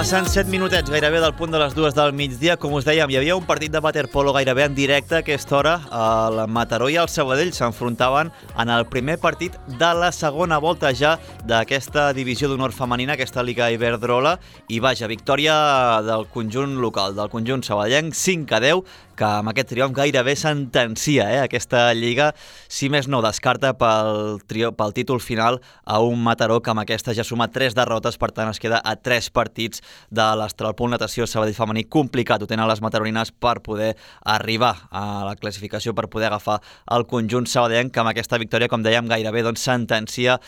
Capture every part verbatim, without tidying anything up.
Passant set minutets gairebé del punt de les dues del migdia, com us dèiem, hi havia un partit de waterpolo gairebé en directe a aquesta hora. El Mataró i el Sabadell s'enfrontaven en el primer partit de la segona volta ja d'aquesta divisió d'honor femenina, aquesta Lliga Iberdrola, i vaja, victòria del conjunt local, del conjunt sabadellenc, cinc a deu, que amb aquest triomf gairebé sentencia eh, aquesta lliga, si més no descarta pel, trio, pel títol final a un Mataró que amb aquesta ja suma tres derrotes, per tant es queda a tres partits de l'Astralpool Natació Sabadell femení. Complicat ho tenen les mataronines per poder arribar a la classificació, per poder agafar el conjunt sabadellenc, que amb aquesta victòria, com dèiem, gairebé doncs, sentencia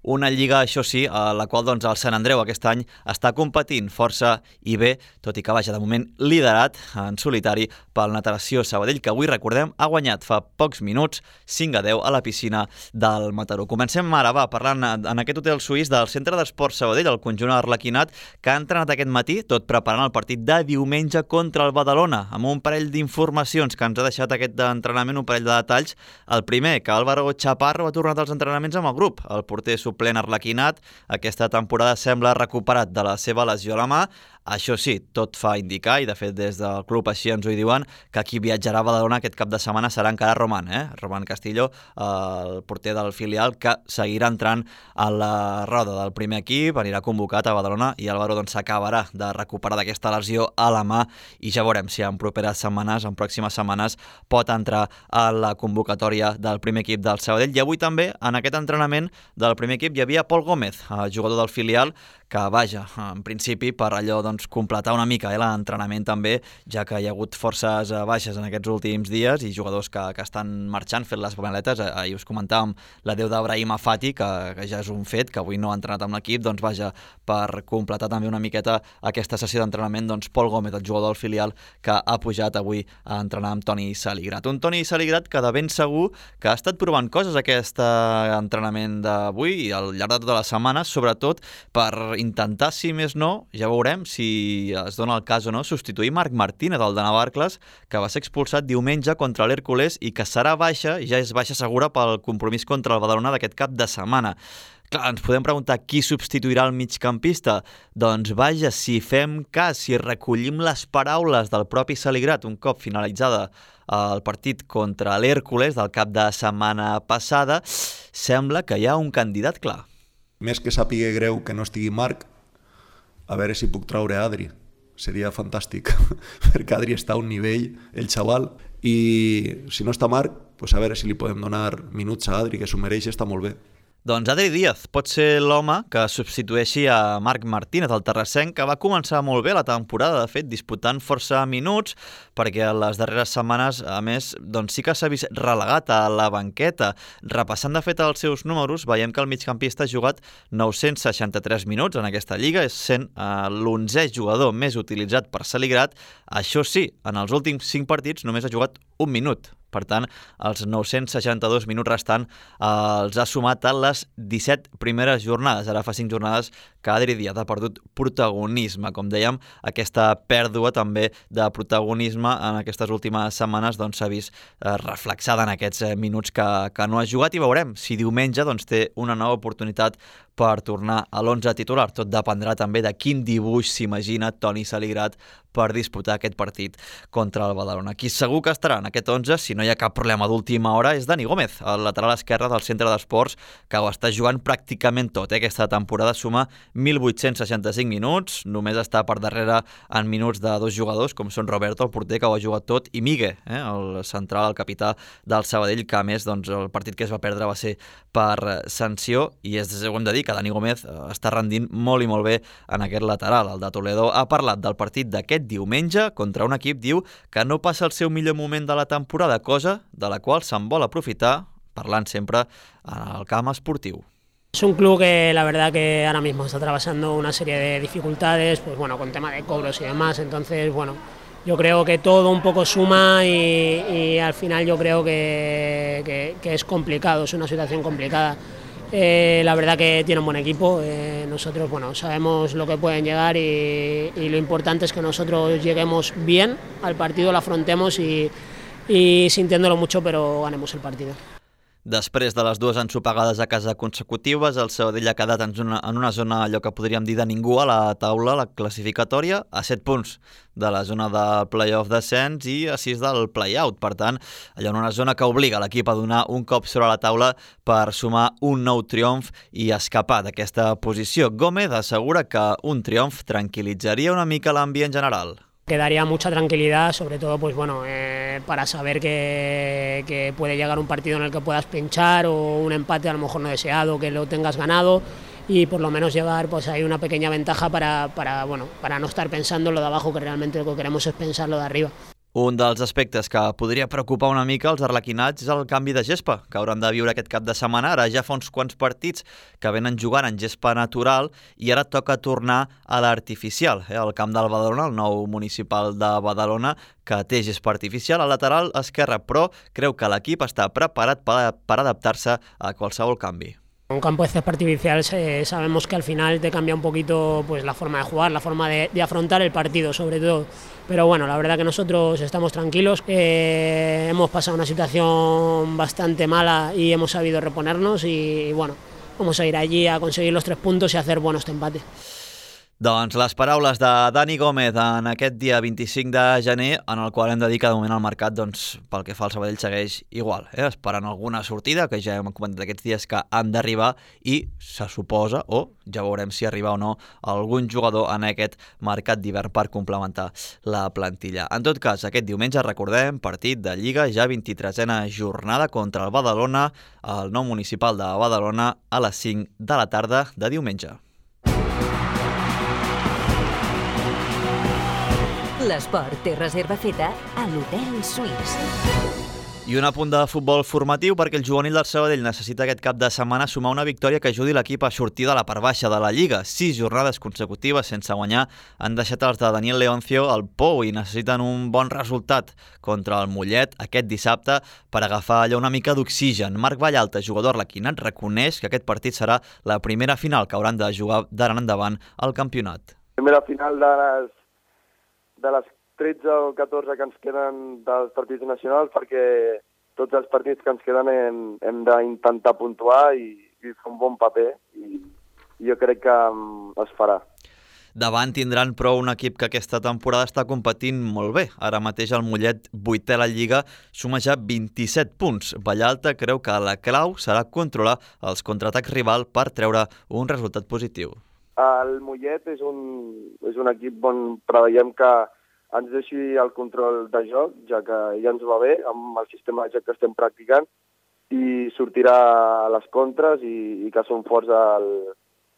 una lliga, això sí, a la qual doncs, el Sant Andreu aquest any està competint força i bé, tot i que vaja de moment liderat en solitari pel Natació Sabadell, que avui, recordem, ha guanyat fa pocs minuts cinc a deu a la piscina del Mataró. Comencem ara, va, parlant en aquest hotel suís del Centre d'Esports Sabadell, el conjunt arlequinat, que ha entrenat aquest matí, tot preparant el partit de diumenge contra el Badalona, amb un parell d'informacions que ens ha deixat aquest entrenament, un parell de detalls. El primer, que Álvaro Chaparro ha tornat als entrenaments amb el grup, el porter suplent arlequinat, aquesta temporada sembla recuperat de la seva lesió a la mà. Això sí, tot fa indicar, i de fet des del club així ens ho diuen, que qui viatjarà a Badalona aquest cap de setmana serà encara Roman, eh? Roman Castillo, el porter del filial, que seguirà entrant a la roda del primer equip, anirà convocat a Badalona, i Álvaro doncs, s'acabarà de recuperar d'aquesta lesió a la mà, i ja veurem si en properes setmanes, en pròximes setmanes, pot entrar a la convocatòria del primer equip del Sabadell. I avui també, en aquest entrenament del primer equip, hi havia Pol Gómez, jugador del filial, que vaja, en principi, per allò doncs, completar una mica eh, l'entrenament també, ja que hi ha hagut forces baixes en aquests últims dies i jugadors que, que estan marxant, fent les maletes. Ahir us comentàvem l'adeu d'Abrahim Afati, que, que ja és un fet, que avui no ha entrenat amb l'equip, doncs vaja, per completar també una miqueta aquesta sessió d'entrenament, doncs Pol Gómez, el jugador del filial, que ha pujat avui a entrenar amb Toni Saligrat. Un Toni Saligrat que de ben segur que ha estat provant coses aquest entrenament d'avui i al llarg de tota la setmana, sobretot per intentar, si més no, ja veurem si es dona el cas o no, substituir Marc Martínez, el de Navarcles, que va ser expulsat diumenge contra l'Hèrcules i que serà baixa, ja és baixa segura pel compromís contra el Badalona d'aquest cap de setmana. Clar, ens podem preguntar qui substituirà el migcampista. Doncs vaja, si fem cas, si recollim les paraules del propi Saligrat un cop finalitzada el partit contra l'Hèrcules del cap de setmana passada, sembla que hi ha un candidat clar. Més que sàpiga greu que no estigui Marc, a veure si puc traure Adri. Seria fantàstic, perquè Adri està a un nivell, el xaval, i si no està Marc, pues a veure si li podem donar minuts a Adri, que s'ho mereix, està molt bé. Doncs Adri Díaz pot ser l'home que substitueixi a Marc Martínez, el terrassenc, que va començar molt bé la temporada, de fet, disputant força minuts, perquè les darreres setmanes, a més, doncs sí que s'ha vist relegat a la banqueta. Repassant, de fet, els seus números, veiem que el migcampista ha jugat nou-cents seixanta-tres minuts en aquesta lliga, és sent eh, l'onzè jugador més utilitzat per Saligrat. Això sí, en els últims cinc partits només ha jugat un minut. Per tant, els nou-cents seixanta-dos minuts restant eh, els ha sumat a les disset primeres jornades. Ara fa cinc jornades que Adri Díaz ha perdut protagonisme. Com dèiem, aquesta pèrdua també de protagonisme en aquestes últimes setmanes doncs, s'ha vist eh, reflexada en aquests eh, minuts que, que no ha jugat, i veurem si diumenge doncs, té una nova oportunitat per tornar a l'onze titular. Tot dependrà també de quin dibuix s'imagina Toni Saligrat per disputar aquest partit contra el Badalona. Qui segur que estarà en aquest onze, si no hi ha cap problema d'última hora, és Dani Gómez, el lateral esquerre del Centre d'Esports, que ho està jugant pràcticament tot. Eh? Aquesta temporada suma mil vuit-cents seixanta-cinc minuts, només està per darrere en minuts de dos jugadors, com són Roberto, el porter, que ho ha jugat tot, i Migue, eh? el central, el capità del Sabadell, que a més doncs, el partit que es va perdre va ser per sanció, i és, ho hem de dir, que Dani Gómez està rendint molt i molt bé en aquest lateral. El de Toledo ha parlat del partit d'aquest diumenge contra un equip, diu, que no passa el seu millor moment de la temporada, cosa de la qual se'n vol aprofitar, parlant sempre en el camp esportiu. Es un club que la verdad que ahora mismo está atravesando una serie de dificultades, pues bueno, con tema de cobros y demás, entonces bueno, yo creo que todo un poco suma y, y al final yo creo que, que, que es complicado, es una situación complicada. Eh, la verdad que tiene un buen equipo, eh, nosotros bueno, sabemos lo que pueden llegar y, y lo importante es que nosotros lleguemos bien al partido, lo afrontemos y, y sintiéndolo mucho, pero ganemos el partido. Després de les dues ensopegades a casa consecutives, el Sabadell ha quedat en una, en una zona allò que podríem dir de ningú a la taula, la classificatòria, a set punts de la zona de play-off descens i a sis del play-out. Per tant, allò en una zona que obliga l'equip a donar un cop sobre la taula per sumar un nou triomf i escapar d'aquesta posició. Gómez assegura que un triomf tranquil·litzaria una mica l'ambient general. Quedaría mucha tranquilidad, sobre todo pues bueno, eh, para saber que, que puede llegar un partido en el que puedas pinchar o un empate a lo mejor no deseado, que lo tengas ganado y por lo menos llevar pues ahí una pequeña ventaja para, para, bueno, para no estar pensando en lo de abajo, que realmente lo que queremos es pensar lo de arriba. Un dels aspectes que podria preocupar una mica els arlequinats és el canvi de gespa, que hauran de viure aquest cap de setmana. Ara ja fa uns quants partits que venen jugant en gespa natural i ara toca tornar a l'artificial. Eh? El camp del Badalona, el nou municipal de Badalona, que té gespa artificial al lateral esquerre, però creu que l'equip està preparat per, per adaptar-se a qualsevol canvi. Un campo de césped artificial eh, sabemos que al final te cambia un poquito pues la forma de jugar, la forma de, de afrontar el partido sobre todo, pero bueno, la verdad que nosotros estamos tranquilos, eh, hemos pasado una situación bastante mala y hemos sabido reponernos y, y bueno, vamos a ir allí a conseguir los tres puntos y a hacer buenos empates. Doncs les paraules de Dani Gómez en aquest dia vint-i-cinc de gener, en el qual hem de dir que de moment el mercat, doncs, pel que fa al Sabadell, segueix igual, eh? Esperant alguna sortida, que ja hem comentat aquests dies que han d'arribar i se suposa, o ja veurem si arriba o no, algun jugador en aquest mercat d'hivern per complementar la plantilla. En tot cas, aquest diumenge, recordem, partit de Lliga, ja vint-i-tresena jornada contra el Badalona, el nou municipal de Badalona, a les cinc de la tarda de diumenge. L'esport té reserva feta a l'Hotel Suís. I un apunt de futbol formatiu perquè el juvenil del Sabadell necessita aquest cap de setmana sumar una victòria que ajudi l'equip a sortir de la part baixa de la Lliga. Sis jornades consecutives sense guanyar han deixat els de Daniel Leoncio al pou i necessiten un bon resultat contra el Mollet aquest dissabte per agafar allò una mica d'oxigen. Marc Vallalta, jugador arlequinat, reconeix que aquest partit serà la primera final que hauran de jugar d'ara en endavant al campionat. Primera final de les de les tretze o catorze que ens queden dels partits nacionals, perquè tots els partits que ens queden hem, hem d'intentar puntuar i, i fer un bon paper, i, i jo crec que um, es farà. Davant tindran però un equip que aquesta temporada està competint molt bé. Ara mateix el Mollet, vuitè a la Lliga, suma ja vint-i-set punts. Vallalta creu que la clau serà controlar els contraatacs rival per treure un resultat positiu. El Mollet és un, és un equip on preveiem que ens deixi el control de joc, ja que ja ens va bé amb el sistema de joc que estem practicant, i sortirà a les contres i, i que són forts al,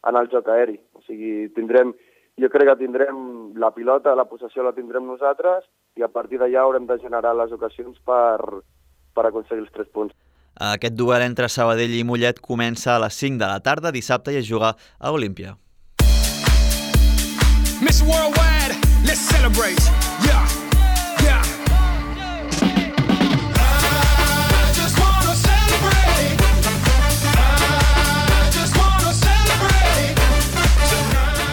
en el joc aeri. O sigui, tindrem, jo crec que tindrem la pilota, la possessió la tindrem nosaltres i a partir d'allà haurem de generar les ocasions per, per aconseguir els tres punts. Aquest duel entre Sabadell i Mollet comença a les cinc de la tarda dissabte i es juga a Olímpia. Miss Worldwide, let's celebrate. Yeah, yeah. I just wanna celebrate. I just wanna celebrate.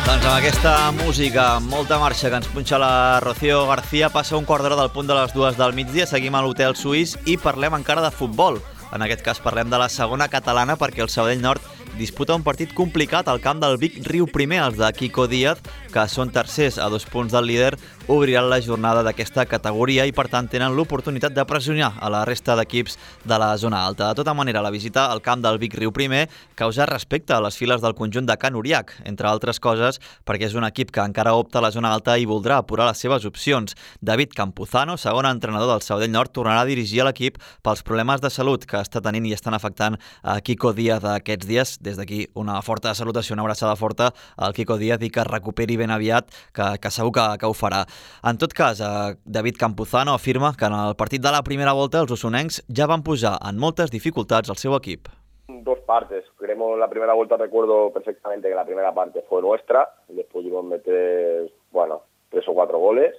Doncs amb aquesta música, amb molta marxa que ens punxa la Rocío García, passa un quart d'hora del punt de les dues del migdia, seguim a l'Hotel Suís i parlem encara de futbol. En aquest cas parlem de la segona catalana perquè el Sabadell Nord disputa un partit complicat al camp del Vic Riu Primer. Els de Quico Díaz, que són tercers a dos punts del líder, obriran la jornada d'aquesta categoria i per tant tenen l'oportunitat de pressionar a la resta d'equips de la zona alta. De tota manera, la visita al camp del Vic Riu Primer causa respecte a les files del conjunt de Can Uriac, entre altres coses perquè és un equip que encara opta a la zona alta i voldrà apurar les seves opcions. David Campuzano, segon entrenador del Sabadell Nord, tornarà a dirigir l'equip pels problemes de salut que està tenint i estan afectant a Quico Díaz aquests dies. Des d'aquí una forta salutació, una abraçada forta al Quico Díaz i que es recuperi ben aviat, que, que segur que, que ho farà. En tot cas, eh, David Campuzano afirma que en el partit de la primera volta els osonencs ja van posar en moltes dificultats al seu equip. Dos partes. Queremos la primera vuelta, recuerdo perfectamente que la primera parte fue nuestra, les pudimos meter, bueno, tres o cuatro goles,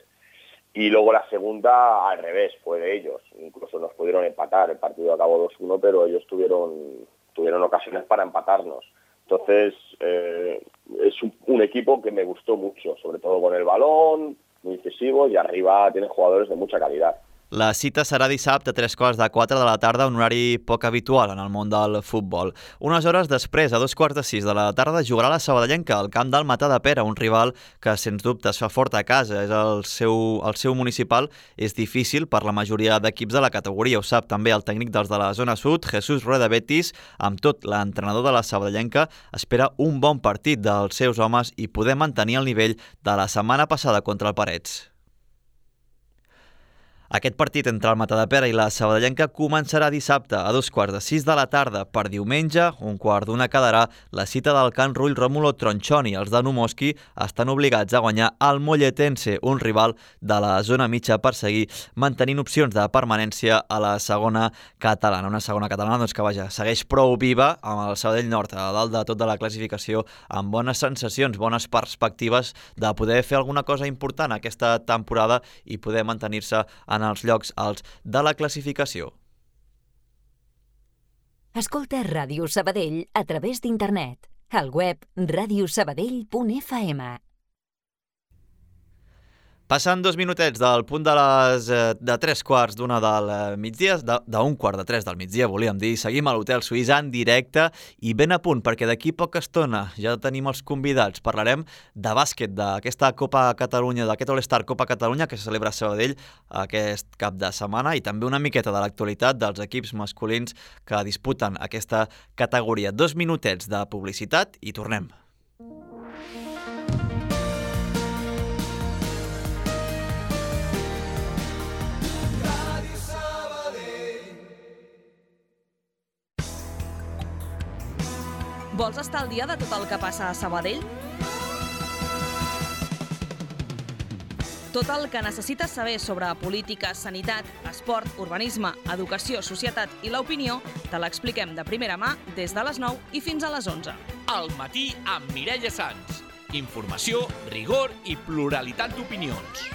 y luego la segunda al revés, fue de ellos. Incluso nos pudieron empatar, el partido acabó dos uno, pero ellos tuvieron, tuvieron ocasiones para empatarnos. Entonces, eh, es un, un equipo que me gustó mucho, sobre todo con el balón, muy incisivo, y arriba tiene jugadores de mucha calidad. La cita serà dissabte a tres quarts de quatre de la tarda, un horari poc habitual en el món del futbol. Unes hores després, a dos quarts de sis de la tarda, jugarà la sabadellenca al camp del Matadepera, un rival que, sens dubte, es fa fort a casa. És el seu, el seu municipal és difícil per la majoria d'equips de la categoria. Ho sap també el tècnic dels de la zona sud, Jesús Rueda Betis. Amb tot, l'entrenador de la sabadellenca espera un bon partit dels seus homes i poder mantenir el nivell de la setmana passada contra el Parets. Aquest partit entre el Matadepera i la sabadellenca començarà dissabte a dos quarts de sis de la tarda. Per diumenge, un quart d'una quedarà la cita del Can Rull Rómulo Tronchoni. Els de Numoski estan obligats a guanyar el Molletense, un rival de la zona mitja, per seguir mantenint opcions de permanència a la segona catalana. Una segona catalana doncs, que vaja, segueix prou viva amb el Sabadell Nord a dalt de tot de la classificació, amb bones sensacions, bones perspectives de poder fer alguna cosa important aquesta temporada i poder mantenir-se en els llocs alts de la classificació. Escolta Ràdio Sabadell a través d'internet. Al web radio sabadell punt f m. Passant dos minutets del punt de les de tres quarts d'una del migdia, d'un quart de tres del migdia, volíem dir, seguim a l'Hotel Suís en directe i ben a punt, perquè d'aquí poca estona ja tenim els convidats. Parlarem de bàsquet, d'aquesta Copa Catalunya, d'aquest All-Star Copa Catalunya que se celebra a Sabadell aquest cap de setmana, i també una miqueta de l'actualitat dels equips masculins que disputen aquesta categoria. Dos minutets de publicitat i tornem. Vols estar al dia de tot el que passa a Sabadell? Tot el que necessites saber sobre política, sanitat, esport, urbanisme, educació, societat i l'opinió te l'expliquem de primera mà des de les nou i fins a les onze. Al matí amb Mireia Sans. Informació, rigor i pluralitat d'opinions.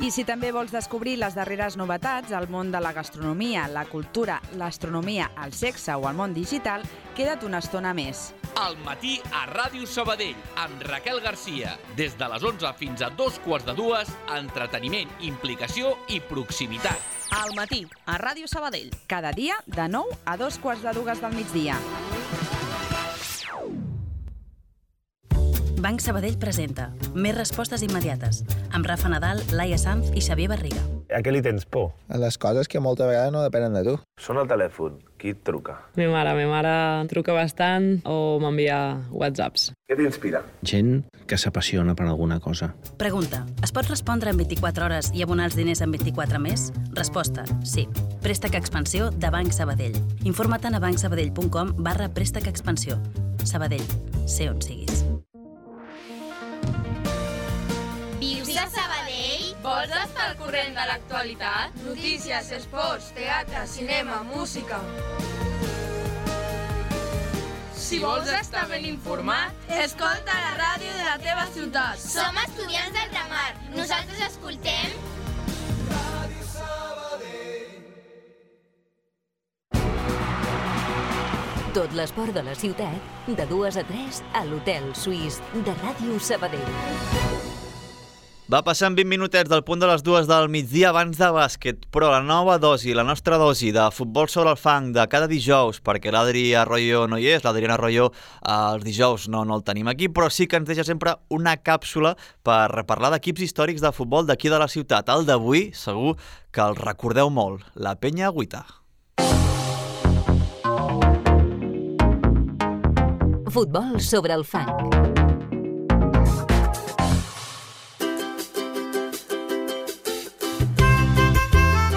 I si també vols descobrir les darreres novetats al món de la gastronomia, la cultura, l'astronomia, el sexe o el món digital, queda't una estona més. Al matí a Ràdio Sabadell, amb Raquel Garcia. Des de les onze fins a dos quarts de dues, entreteniment, implicació i proximitat. Al matí a Ràdio Sabadell. Cada dia de nou a dos quarts de dues del migdia. Banc Sabadell presenta Més respostes immediates, amb Rafa Nadal, Laia Sanz i Xavier Barriga. A què li tens por? A les coses que moltes vegades no depenen de tu. Sona el telèfon. Qui et truca? Mi mare. Mi mare truca bastant o m'envia whatsapps. Què t'inspira? Gent que s'apassiona per alguna cosa. Pregunta. Es pot respondre en vint-i-quatre hores i abonar els diners en vint-i-quatre més? Resposta. Sí. Préstec Expansió de Banc Sabadell. Informa't a bancsabadell punt com barra préstec expansió. Sabadell. Sé on siguis. Vius a Sabadell? Vols estar al corrent de l'actualitat? Notícies, esports, teatre, cinema, música... Si vols estar ben informat, escolta la ràdio de la teva ciutat. Som estudiants del Ramar. Nosaltres escoltem... Ràdio Sabadell. Tot l'esport de la ciutat, de dues a tres, a l'Hotel Suís de Ràdio Sabadell. Va passant vint minutets del punt de les dues del migdia abans de bàsquet, però la nova dosi, la nostra dosi de futbol sobre el fang de cada dijous, perquè l'Adri Arroyo no hi és, l'Adriana Arroyo els dijous no, no el tenim aquí, però sí que ens deixa sempre una càpsula per parlar d'equips històrics de futbol d'aquí de la ciutat. El d'avui, segur que el recordeu molt, la Penya Agüita. Futbol sobre el fang.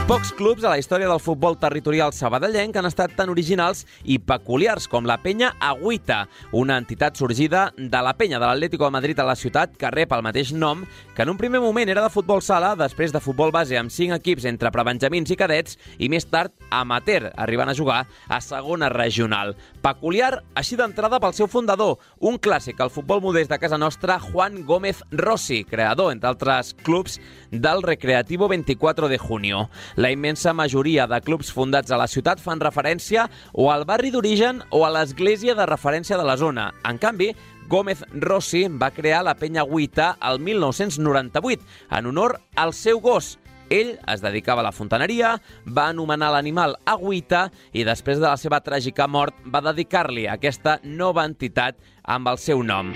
Pocs clubs a la història del futbol territorial sabadellenc han estat tan originals i peculiars com la Penya Agüita, una entitat sorgida de la Penya de l'Atlético de Madrid a la ciutat que rep el mateix nom, que en un primer moment era de futbol sala, després de futbol base amb cinc equips entre prebenjamins i cadets i més tard amateur, arribant a jugar a segona regional. Peculiar així d'entrada pel seu fundador, un clàssic al futbol modest de casa nostra, Juan Gómez Rossi, creador, entre altres clubs, del Recreativo veinticuatro de junio. La immensa majoria de clubs fundats a la ciutat fan referència o al barri d'origen o a l'església de referència de la zona. En canvi, Gómez Rossi va crear la Penya Agüita el mil nou-cents noranta-vuit en honor al seu gos, Ell es dedicava a la fontaneria, va anomenar l'animal Agüita i després de la seva tràgica mort va dedicar-li aquesta nova entitat amb el seu nom.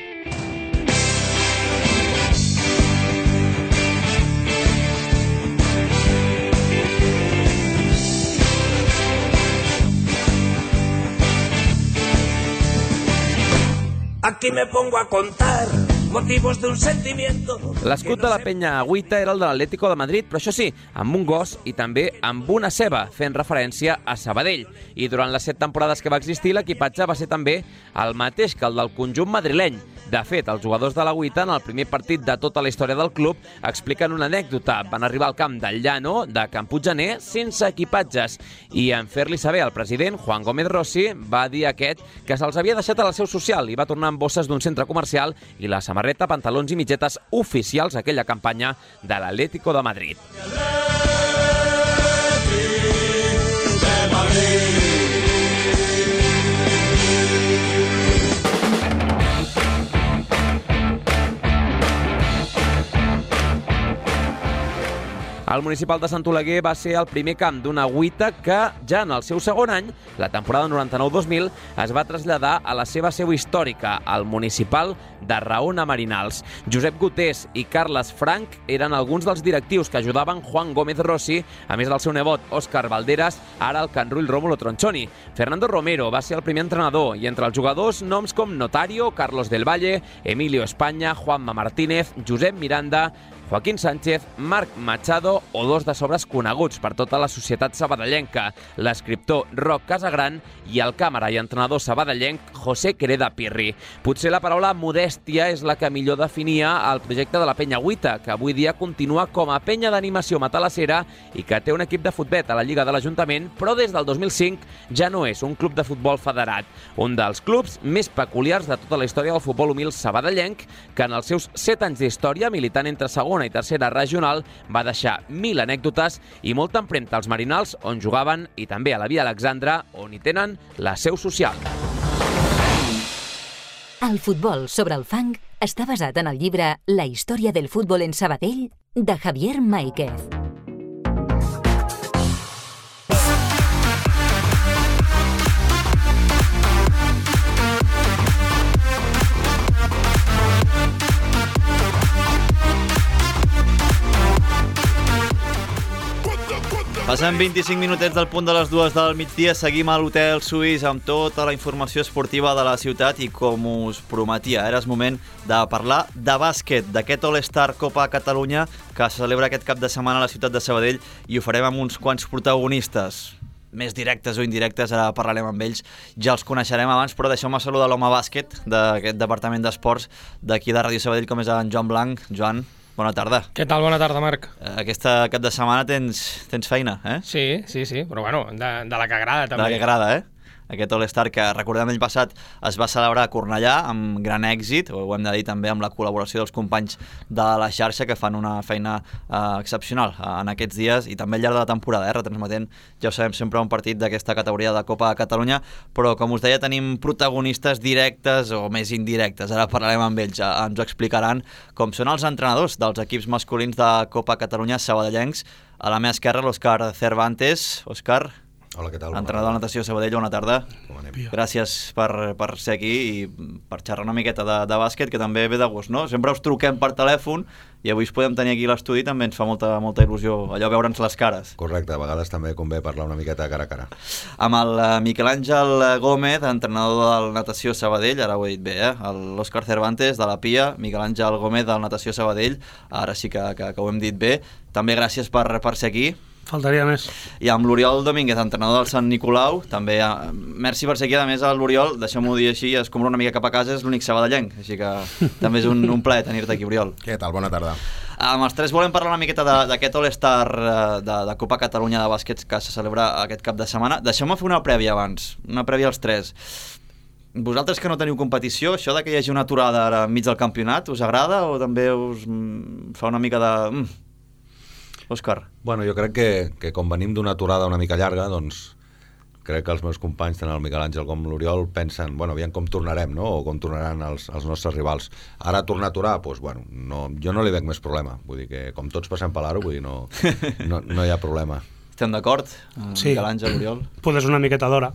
Aquí me pongo a contar motivos de un sentimiento. L'escut de la penya Agüita era el de l'Atlético de Madrid, però això sí, amb un gos i també amb una ceba, fent referència a Sabadell. I durant les set temporades que va existir, l'equipatge va ser també el mateix que el del conjunt madrileny. De fet, els jugadors de l'Agüita, en el primer partit de tota la història del club, expliquen una anècdota. Van arribar al camp del Llano, de Can Puiggener, sense equipatges. I en fer-li saber al president, Juan Gómez Rossi, va dir a aquest que se'ls havia deixat a la seu social i va tornar amb bosses d'un centre comercial i la samarreta, pantalons i mitgetes oficials aquella campanya de l'Atlético de Madrid. El municipal de Sant Oleguer va ser el primer camp d'una Agüita que, ja en el seu segon any, la temporada noranta-nou dos mil, es va traslladar a la seva seu històrica, al municipal de Raona Marinals. Josep Gutés i Carles Frank eren alguns dels directius que ajudaven Juan Gómez Rossi, a més del seu nebot Òscar Valderas, ara el Can Rull Rómulo Tronchoni. Fernando Romero va ser el primer entrenador i entre els jugadors noms com Notario, Carlos del Valle, Emilio España, Juanma Martínez, Josep Miranda, Joaquín Sánchez, Marc Machado o dos de sobres coneguts per tota la societat sabadellenca, l'escriptor Roc Casagran i el càmera i entrenador sabadellenc José Quereda Pirri. Potser la paraula modèstia és la que millor definia el projecte de la penya Agüita, que avui dia continua com a penya d'animació matalassera i que té un equip de futbet a la Lliga de l'Ajuntament, però des del dos mil cinc ja no és un club de futbol federat, un dels clubs més peculiars de tota la història del futbol humil sabadellenc, que en els seus set anys d'història, militant entre segona i tercera regional, va deixar mil anècdotes i molta empremta als Marinals, on jugaven, i també a la Via Alexandra, on hi tenen la seu social. El futbol sobre el fang està basat en el llibre La història del futbol en Sabadell, de Javier Máiquez. Passant vint-i-cinc minutets del punt de les dues del migdia, seguim a l'Hotel Suís amb tota la informació esportiva de la ciutat i com us prometia, era el moment de parlar de bàsquet, d'aquest All-Star Copa Catalunya que se celebra aquest cap de setmana a la ciutat de Sabadell i ho farem amb uns quants protagonistes, més directes o indirectes, ara parlarem amb ells, ja els coneixerem abans, però deixeu-me saludar l'home bàsquet d'aquest departament d'esports d'aquí de Ràdio Sabadell, com és en Joan Blanc. Joan, bona tarda. Què tal? Bona tarda, Marc. Aquesta cap de setmana tens, tens feina, eh? Sí, sí, sí, però bueno, de, de la que agrada també. De la que agrada, eh? Aquest All-Star que, recordem, l'any passat es va celebrar a Cornellà amb gran èxit, ho hem de dir també amb la col·laboració dels companys de la xarxa que fan una feina eh, excepcional eh, en aquests dies i també al llarg de la temporada, eh, retransmetent, ja ho sabem, sempre un partit d'aquesta categoria de Copa de Catalunya, però com us deia tenim protagonistes directes o més indirectes, ara parlarem amb ells, eh, ens ho explicaran, com són els entrenadors dels equips masculins de Copa Catalunya sabadellencs. A la meva esquerra l'Òscar Cervantes. Òscar, hola, què tal? entrenador de natació Sabadell, bona tarda. Com anem? Gràcies per, per ser aquí i per xerrar una miqueta de, de bàsquet, que també ve de gust, no? Sempre us truquem per telèfon i avui us podem tenir aquí a l'estudi, també ens fa molta, molta il·lusió allò veure'ns les cares. Correcte, a vegades també convé parlar una miqueta cara a cara. Amb el uh, Miquel Àngel Gómez, entrenador del natació Sabadell, ara ho he dit bé, eh? L'Òscar Cervantes de la Pia, Miquel Àngel Gómez del natació Sabadell, ara sí que, que, que ho hem dit bé. També gràcies per, per ser aquí. Faltaria més. I amb l'Oriol Domínguez, entrenador del Sant Nicolau, també, eh, merci per ser aquí. A més, l'Oriol, deixem-ho dir així, es compra una mica cap a casa, és l'únic sabadellenc, així que també és un, un plaer tenir-te aquí, Oriol. Què tal? Bona tarda. Amb els tres volem parlar una miqueta d'aquest All-Star de, de Copa Catalunya de bàsquet que se celebra aquest cap de setmana. Deixeu-me fer una prèvia abans, una prèvia als tres. Vosaltres que no teniu competició, això de que hi hagi una aturada ara enmig del campionat, us agrada o també us fa una mica de... Mm. Òscar. Bueno, jo crec que, que com venim d'una aturada una mica llarga, doncs crec que els meus companys, tant el Miquel Àngel com l'Oriol, pensen, bueno, aviam com tornarem, no? O com tornaran els, els nostres rivals. Ara tornar a aturar, doncs, bueno, no, jo no li veig més problema. Vull dir que, com tots passem per l'aro, vull dir, no, no, no hi ha problema. Estem d'acord? Sí. Miquel Àngel, Oriol? Pues és una miqueta d'hora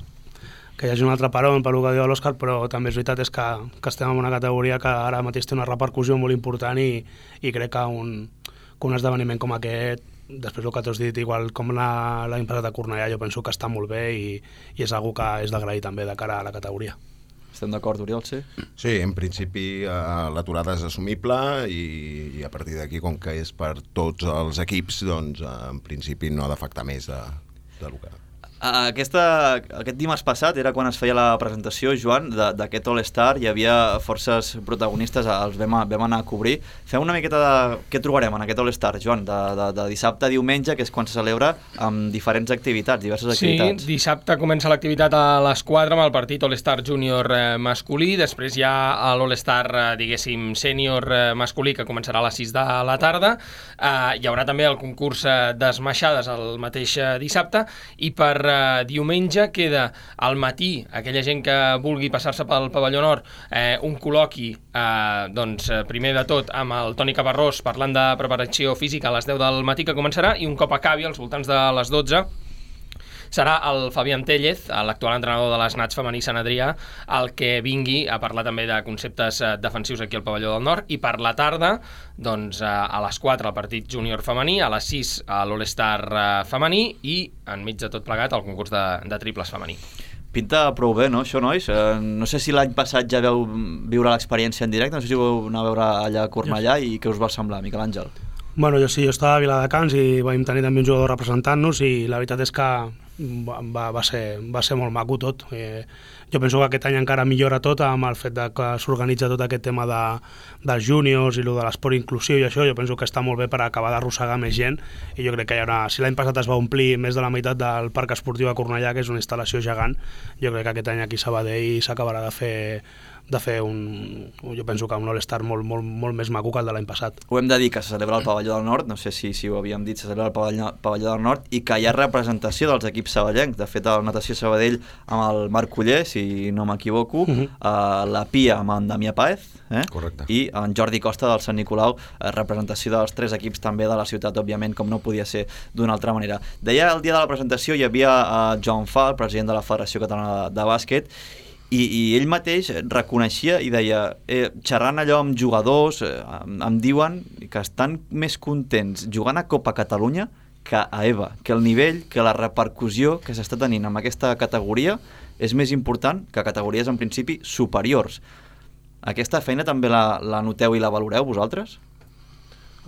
que hi hagi un altre parón per lo que diu l'Òscar, però també és veritat és que, que estem en una categoria que ara mateix té una repercussió molt important i, i crec que un, que un esdeveniment com aquest, després del que t'has dit, igual com l'any passat a Cornellà, jo penso que està molt bé i, i és algo que és d'agrair també de cara a la categoria. Estem d'acord, Oriol, sí? Sí, en principi eh, l'aturada és assumible i, i a partir d'aquí, com que és per tots els equips, doncs eh, en principi no ha d'afectar més de, de lo que... Aquesta, aquest dimarts passat era quan es feia la presentació, Joan, d'aquest All-Star. Hi havia forces protagonistes, els vam, vam anar a cobrir. Fem una miqueta de què trobarem en aquest All-Star, Joan, de, de, de dissabte a diumenge, que és quan se celebra amb diferents activitats, diverses activitats. Sí, dissabte comença l'activitat a les quatre amb el partit All-Star Júnior eh, masculí, després hi ha l'All-Star, eh, diguéssim, sènior eh, masculí, que començarà a les sis de la tarda. Eh, hi haurà també el concurs eh, d'esmaixades el mateix eh, dissabte, i per Uh, diumenge queda al matí, aquella gent que vulgui passar-se pel pavelló nord, eh, un col·loqui, eh, doncs, primer de tot amb el Toni Caparrós parlant de preparació física a les deu del matí, que començarà, i un cop acabi als voltants de les dotze serà el Fabián Tellez, l'actual entrenador de les Nats femení Sant Adrià, el que vingui a parlar també de conceptes defensius aquí al pavelló del nord, i per la tarda, doncs, a les quatre el partit júnior femení, a les sis l'All-Star femení i enmig de tot plegat el concurs de, de triples femení. Pinta prou bé, no, això, nois? Eh, no sé si l'any passat ja veu viure l'experiència en directe, no sé si vau anar a veure allà a Cornellà i què us va semblar, Miquel Àngel? Bueno, jo sí, jo estava a Viladecans i vam tenir també un jugador representant-nos i la veritat és que va, va, ser, va ser molt maco tot. Eh, jo penso que aquest any encara millora tot amb el fet de que s'organitza tot aquest tema de, dels júniors i lo de l'esport inclusiu i això. Jo penso que està molt bé per acabar d'arrossegar més gent i jo crec que hi haurà, si l'any passat es va omplir més de la meitat del parc esportiu a Cornellà, que és una instal·lació gegant, jo crec que aquest any aquí a Sabadell s'acabarà de fer de fer un, jo penso que un All-Star molt, molt, molt més maco que el de l'any passat. Ho hem de dir que se celebra al Pavelló del Nord, no sé si, si ho havíem dit, se celebra al Pavelló, Pavelló del Nord, i que hi ha representació dels equips sabadellencs. De fet, el Natació Sabadell amb el Marc Culler, si no m'equivoco, uh-huh. eh, la Pia amb en Damià Páez, eh? Correcte. I en Jordi Costa del Sant Nicolau, eh, representació dels tres equips també de la ciutat, òbviament, com no podia ser d'una altra manera. Deia el dia de la presentació hi havia eh, Joan Fal, president de la Federació Catalana de, de Bàsquet, I, i ell mateix reconeixia i deia, eh, xerrant allò amb jugadors, eh, em diuen que estan més contents jugant a Copa Catalunya que a EVA, que el nivell, que la repercussió que s'està tenint amb aquesta categoria és més important que categories en principi superiors. Aquesta feina també la, la noteu i la valoreu vosaltres?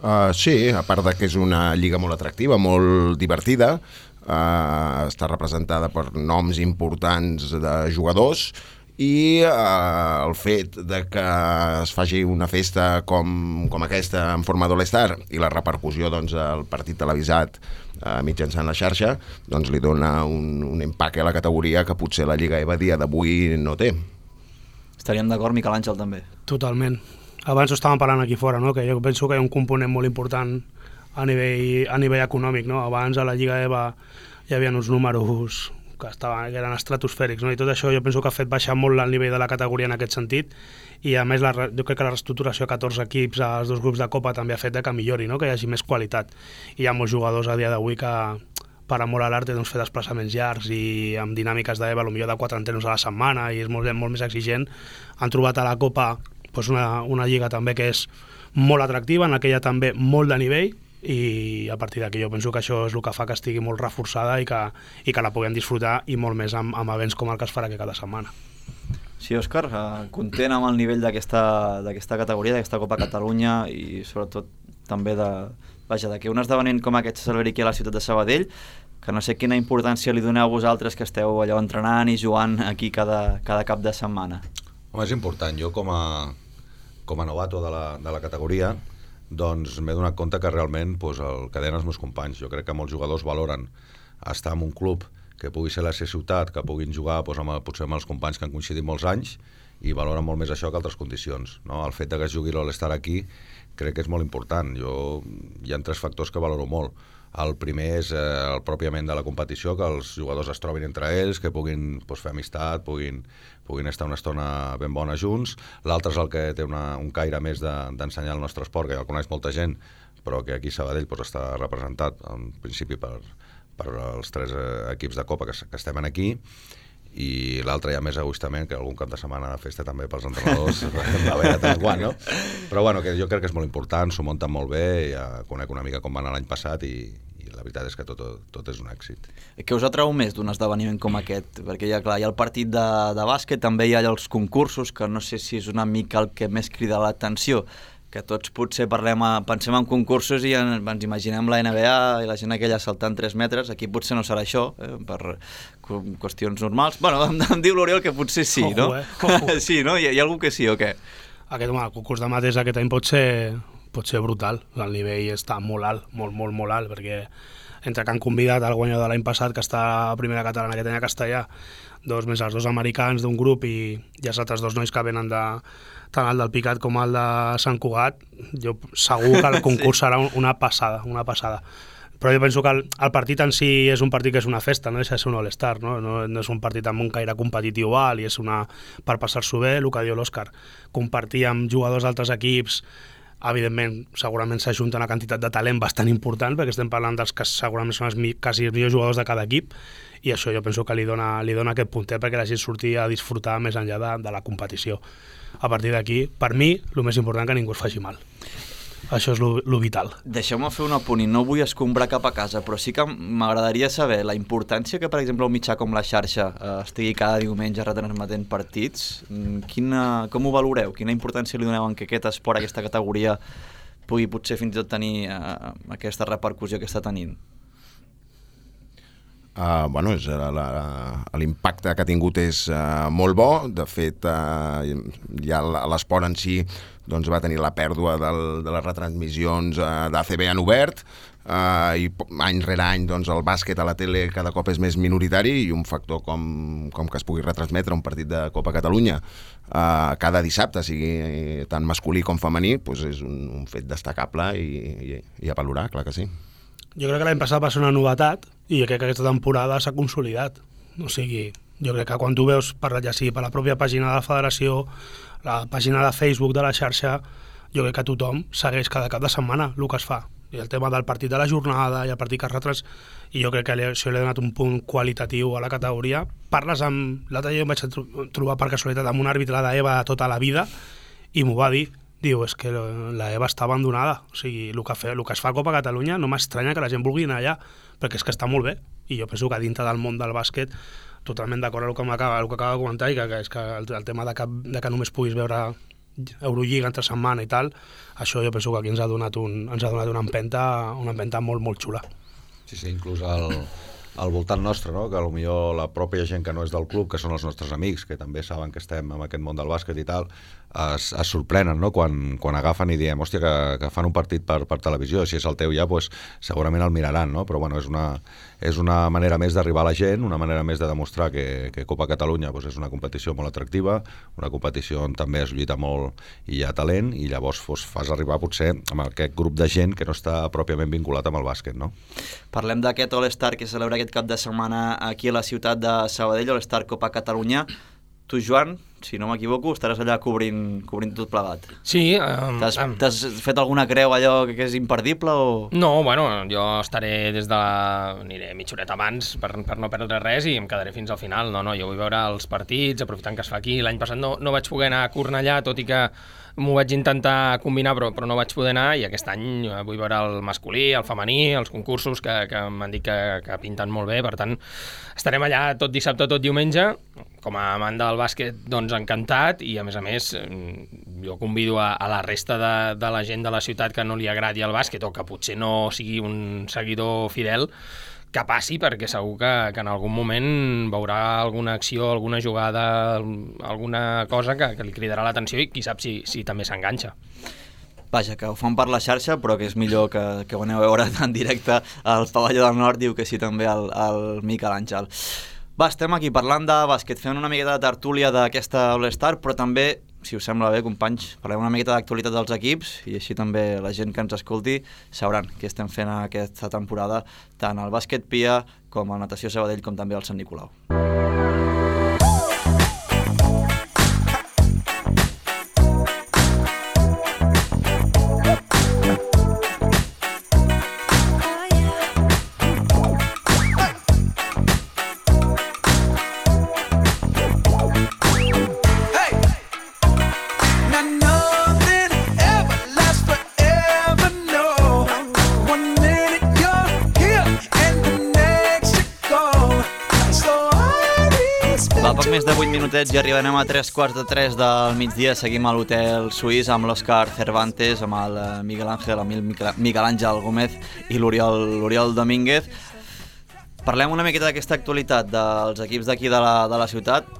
Uh, sí, a part de que és una lliga molt atractiva, molt divertida, uh, està representada per noms importants de jugadors i uh, el fet de que es faci una festa com, com aquesta en forma d'All-Star i la repercussió doncs, del partit televisat uh, mitjançant la xarxa doncs, li dona un, un empaque a la categoria que potser la Lliga EVA dia d'avui no té. Estaríem d'acord, Miquel Àngel, també? Totalment. Abans ho estàvem parlant aquí fora, no? Que jo penso que hi ha un component molt important a nivell, a nivell econòmic. No? Abans a la Lliga EVA hi havia uns números que, estaven, que eren estratosfèrics, no? I tot això jo penso que ha fet baixar molt el nivell de la categoria en aquest sentit i a més la, jo crec que la reestructuració a catorze equips als dos grups de Copa també ha fet que millori, no? Que hi hagi més qualitat. I hi ha molts jugadors a dia d'avui que per amor a l'art doncs, fer desplaçaments llargs i amb dinàmiques d'EVA potser de quatre entrenos a la setmana i és molt, molt més exigent. Han trobat a la Copa doncs, una, una lliga també que és molt atractiva, en la que hi ha també molt de nivell i a partir d'aquí jo penso que això és el que fa que estigui molt reforçada i que, i que la puguem disfrutar i molt més amb, amb events com el que es farà aquí cada setmana. Sí, Òscar, eh, content amb el nivell d'aquesta d'aquesta categoria, d'aquesta Copa Catalunya i sobretot també de, vaja, de que un esdeveniment com aquest se celebri aquí a la ciutat de Sabadell, que no sé quina importància li doneu vosaltres que esteu allò entrenant i jugant aquí cada, cada cap de setmana. Home, és important. Jo com a, com a novato de la, de la categoria doncs m'he donat compte que realment doncs, el que deien els meus companys, jo crec que molts jugadors valoren estar en un club que pugui ser la seva ciutat, que puguin jugar doncs, amb, potser amb els companys que han coincidit molts anys i valoren molt més això que altres condicions, no? El fet de que es jugui l'All-Star aquí crec que és molt important. Jo, hi ha tres factors que valoro molt. El primer és eh, el pròpiament de la competició, que els jugadors es trobin entre ells, que puguin doncs, fer amistat, puguin, puguin estar una estona ben bona junts. L'altre és el que té una, un caire més d'ensenyar de, el nostre esport, que ja el coneix molta gent, però que aquí a Sabadell doncs, està representat, en principi, per, per els tres eh, equips de Copa que, que estem aquí. I l'altre ja més egoistament, que algun cap de setmana de festa també pels entrenadors va bé de tant en quant, no? Però bueno, que jo crec que és molt important, s'ho munten molt bé, ja conec una mica com va anar l'any passat i, i la veritat és que tot, tot és un èxit. Què us atrau més d'un esdeveniment com aquest? Perquè ja, clar, hi ha el partit de, de bàsquet, també hi ha els concursos, que no sé si és una mica el que més crida l'atenció, que tots potser parlem a, pensem en concursos i en, ens imaginem la N B A i la gent aquella saltant tres metres, aquí potser no serà això, eh, per qüestions normals. Bueno, em, em diu l'Oriol que potser sí, Ojo, no? Eh? Ojo. Sí, no? Hi ha, hi ha algú que sí o què? Aquest, home, el concurs de mates aquest any pot ser, pot ser brutal, el nivell està molt alt, molt, molt, molt alt, perquè entre que han convidat el guanyador de l'any passat, que està a primera catalana aquest any a Castellà, dos més els dos americans d'un grup i, i els altres dos nois que venen de, tant el del Picat com el de Sant Cugat, jo segur que el concurs sí. serà una passada, una passada. Però jo penso que el, el partit en si és un partit que és una festa, no deixa de ser un All-Star, no? No, no és un partit amb un caire competitiu alt i és una per passar-s'ho bé, el que diu l'Òscar. Compartir amb jugadors d'altres equips, evidentment, segurament s'ajunta una quantitat de talent bastant important, perquè estem parlant dels que segurament són els mi, quasi els millors jugadors de cada equip, i això jo penso que li dona, li dona aquest puntet perquè la gent surti a disfrutar més enllà de, de la competició. A partir d'aquí, per mi, el més important que ningú es faci mal. Això és lo, lo vital. Deixeu-me fer un apunt i no vull escombrar cap a casa, però sí que m'agradaria saber la importància que, per exemple, un mitjà com La Xarxa eh, estigui cada diumenge retransmetent partits. Quina, com ho valoreu? Quina importància li doneu en que aquest esport, aquesta categoria, pugui potser fins i tot tenir eh, aquesta repercussió que està tenint? Uh, bueno, l'impacte que ha tingut és uh, molt bo. De fet, uh, ja l'esport en si doncs, va tenir la pèrdua del, de les retransmissions uh, d'A C B en obert, uh, i any rere any doncs, el bàsquet a la tele cada cop és més minoritari, i un factor com, com que es pugui retransmetre un partit de Copa Catalunya uh, cada dissabte, sigui tant masculí com femení, doncs és un, un fet destacable i, i, i a valorar, clar que sí. Jo crec que l'any passat va ser una novetat i crec que aquesta temporada s'ha consolidat. O sigui, jo crec que quan tu veus, per, ja sigui per la pròpia pàgina de la federació, la pàgina de Facebook de La Xarxa, jo crec que tothom segueix cada cap de setmana el que es fa. I el tema del partit de la jornada i el partit que es retrans... I jo crec que això li ha donat un punt qualitatiu a la categoria. Parles amb... L'altre dia em vaig trobar per casualitat amb un àrbitre d'Eva de tota la vida i m'ho va dir. Diu, és que la Eva està abandonada. O sigui, el que, fe, el que es fa a Copa Catalunya no m'estranya que la gent vulgui anar allà, perquè és que està molt bé. I jo penso que dintre del món del bàsquet, totalment d'acord amb el que, acaba, el que acaba de comentar, i que, que és que el, el tema de que, de que només puguis veure Eurolliga entre setmana i tal, això jo penso que aquí ens ha donat, un, ens ha donat una empenta, una empenta molt, molt xula. Sí, sí, inclús el, al voltant nostre, no? Que potser la pròpia gent que no és del club, que són els nostres amics, que també saben que estem en aquest món del bàsquet i tal, es, es sorprenen, no? Quan, quan agafen i diem, hòstia, que, que fan un partit per, per televisió, si és el teu ja, pues, segurament el miraran, no? Però bueno, és una, és una manera més d'arribar a la gent, una manera més de demostrar que, que Copa Catalunya pues, és una competició molt atractiva, una competició on també es lluita molt i hi ha talent, i llavors pues, fas arribar potser amb aquest grup de gent que no està pròpiament vinculat amb el bàsquet, no? Parlem d'aquest All-Star que celebra aquest cap de setmana aquí a la ciutat de Sabadell, All-Star Copa Catalunya. Tu, Joan, si no m'equivoco, estaràs allà cobrint, cobrint tot plegat. Sí. Um, T'has um, fet alguna creu allò que és imperdible o...? No, bueno, jo estaré des de la... aniré mitja horeta abans per, per no perdre res i em quedaré fins al final. No, no, jo vull veure els partits, aprofitant que es fa aquí. L'any passat no, no vaig poder anar a Cornellà, tot i que m'ho vaig intentar combinar, però, però no vaig poder anar, i aquest any vull veure el masculí, el femení, els concursos que, que m'han dit que, que pinten molt bé. Per tant, estarem allà tot dissabte, tot diumenge. Com a amant del bàsquet, doncs encantat, i a més a més jo convido a, a la resta de, de la gent de la ciutat que no li agradi el bàsquet o que potser no sigui un seguidor fidel, que passi, perquè segur que, que en algun moment veurà alguna acció, alguna jugada, alguna cosa que, que li cridarà l'atenció, i qui sap si, si també s'enganxa. Vaja, que ho fan per la xarxa, però que és millor que, que ho aneu a veure en directe al Pavelló del Nord, diu que sí també el, el Miquel Àngel. Va, estem aquí parlant de bàsquet, fent una miqueta de tertúlia d'aquesta All-Star, però també, si us sembla bé, companys, parlem una miqueta d'actualitat dels equips i així també la gent que ens escolti sabran què estem fent aquesta temporada, tant al bàsquet Pia com al natació Sabadell com també al Sant Nicolau. Més de vuit minutets i arribarem a tres quarts de tres del migdia. Seguim a l'hotel suís amb l'Òscar Cervantes, amb el Miguel Ángel, amb el Miguel Àngel Gómez i l'Oriol Domínguez. Parlem una miqueta d'aquesta actualitat dels equips d'aquí de, la, de la ciutat.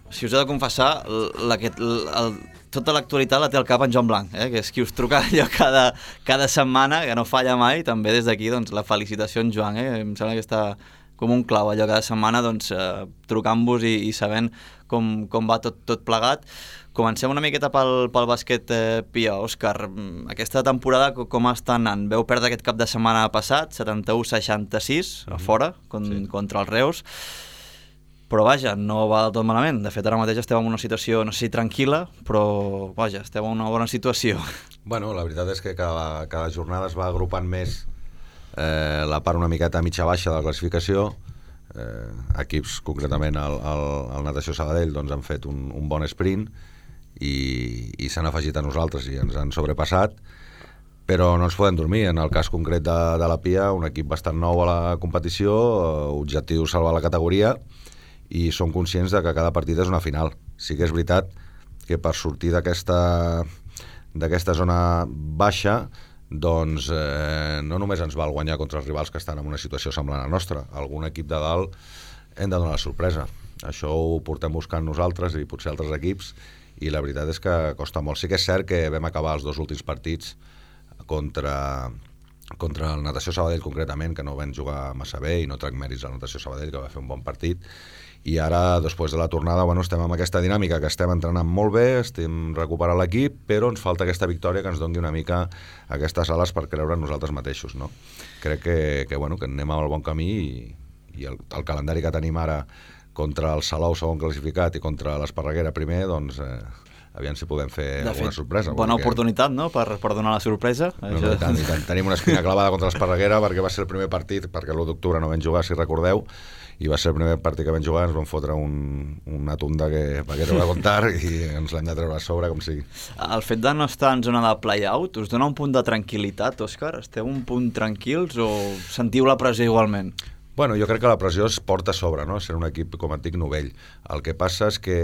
Si us he de confessar, la, que, el, tota l'actualitat la té al cap en Joan Blanc, eh? Que és qui us truca allò cada, cada setmana, que no falla mai. També des d'aquí doncs, la felicitació en Joan, eh? Em sembla que està com un clau allò cada setmana, doncs, eh, trucant-vos i, i sabent com, com va tot, tot plegat. Comencem una miqueta pel, pel bàsquet eh, Pia. Òscar, aquesta temporada com està anant? Veu perdre aquest cap de setmana passat, setanta-u seixanta-sis, a fora, con, sí. contra els Reus. Però vaja, no va del tot malament. De fet, ara mateix esteu en una situació, no sé si tranquil·la, però vaja, esteu en una bona situació. Bueno, la veritat és que cada, cada jornada es va agrupant més Eh, la part una miqueta mitja-baixa de la classificació. Eh, equips, concretament el, el, el Natació Sabadell, doncs han fet un, un bon sprint i, i s'han afegit a nosaltres i ens han sobrepassat, però no ens podem dormir. En el cas concret de, de la Pia, un equip bastant nou a la competició, objectiu salvar la categoria, i som conscients de que cada partit és una final. Sí que és veritat que per sortir d'aquesta d'aquesta zona baixa, doncs eh, no només ens val guanyar contra els rivals que estan en una situació semblant a la nostra. Algun equip de dalt hem de donar la sorpresa. Això ho portem buscant nosaltres i potser altres equips, i la veritat és que costa molt. Sí que és cert que vam acabar els dos últims partits contra, contra el Natació Sabadell concretament, que no vam jugar massa bé, i no trec mèrits al Natació Sabadell, que va fer un bon partit. I ara, després de la tornada, bueno, estem amb aquesta dinàmica, que estem entrenant molt bé, estem recuperant l'equip, però ens falta aquesta victòria que ens doni una mica aquestes ales per creure en nosaltres mateixos, no? Crec que, que, bueno, que anem al bon camí, i, i el, el calendari que tenim ara contra el Salou, segon classificat, i contra l'Esparreguera primer, doncs eh, aviam si podem fer de alguna fet, sorpresa. Bona oportunitat, no?, per, per donar la sorpresa. No, no, i tant, i tant. Tenim una espina clavada contra l'Esparreguera, perquè va ser el primer partit, perquè l'u d'octubre no vam jugar, si recordeu, i va ser el primer partit que vam jugar, ens vam fotre un, una tunda que va quedar a contar i ens l'hem de treure a sobre com sigui. El fet de no estar en zona de play-out us dona un punt de tranquil·litat, Òscar? Esteu un punt tranquils o sentiu la pressió igualment? Bueno, jo crec que la pressió es porta a sobre, no? Ser un equip, com et dic, novell. El que passa és que,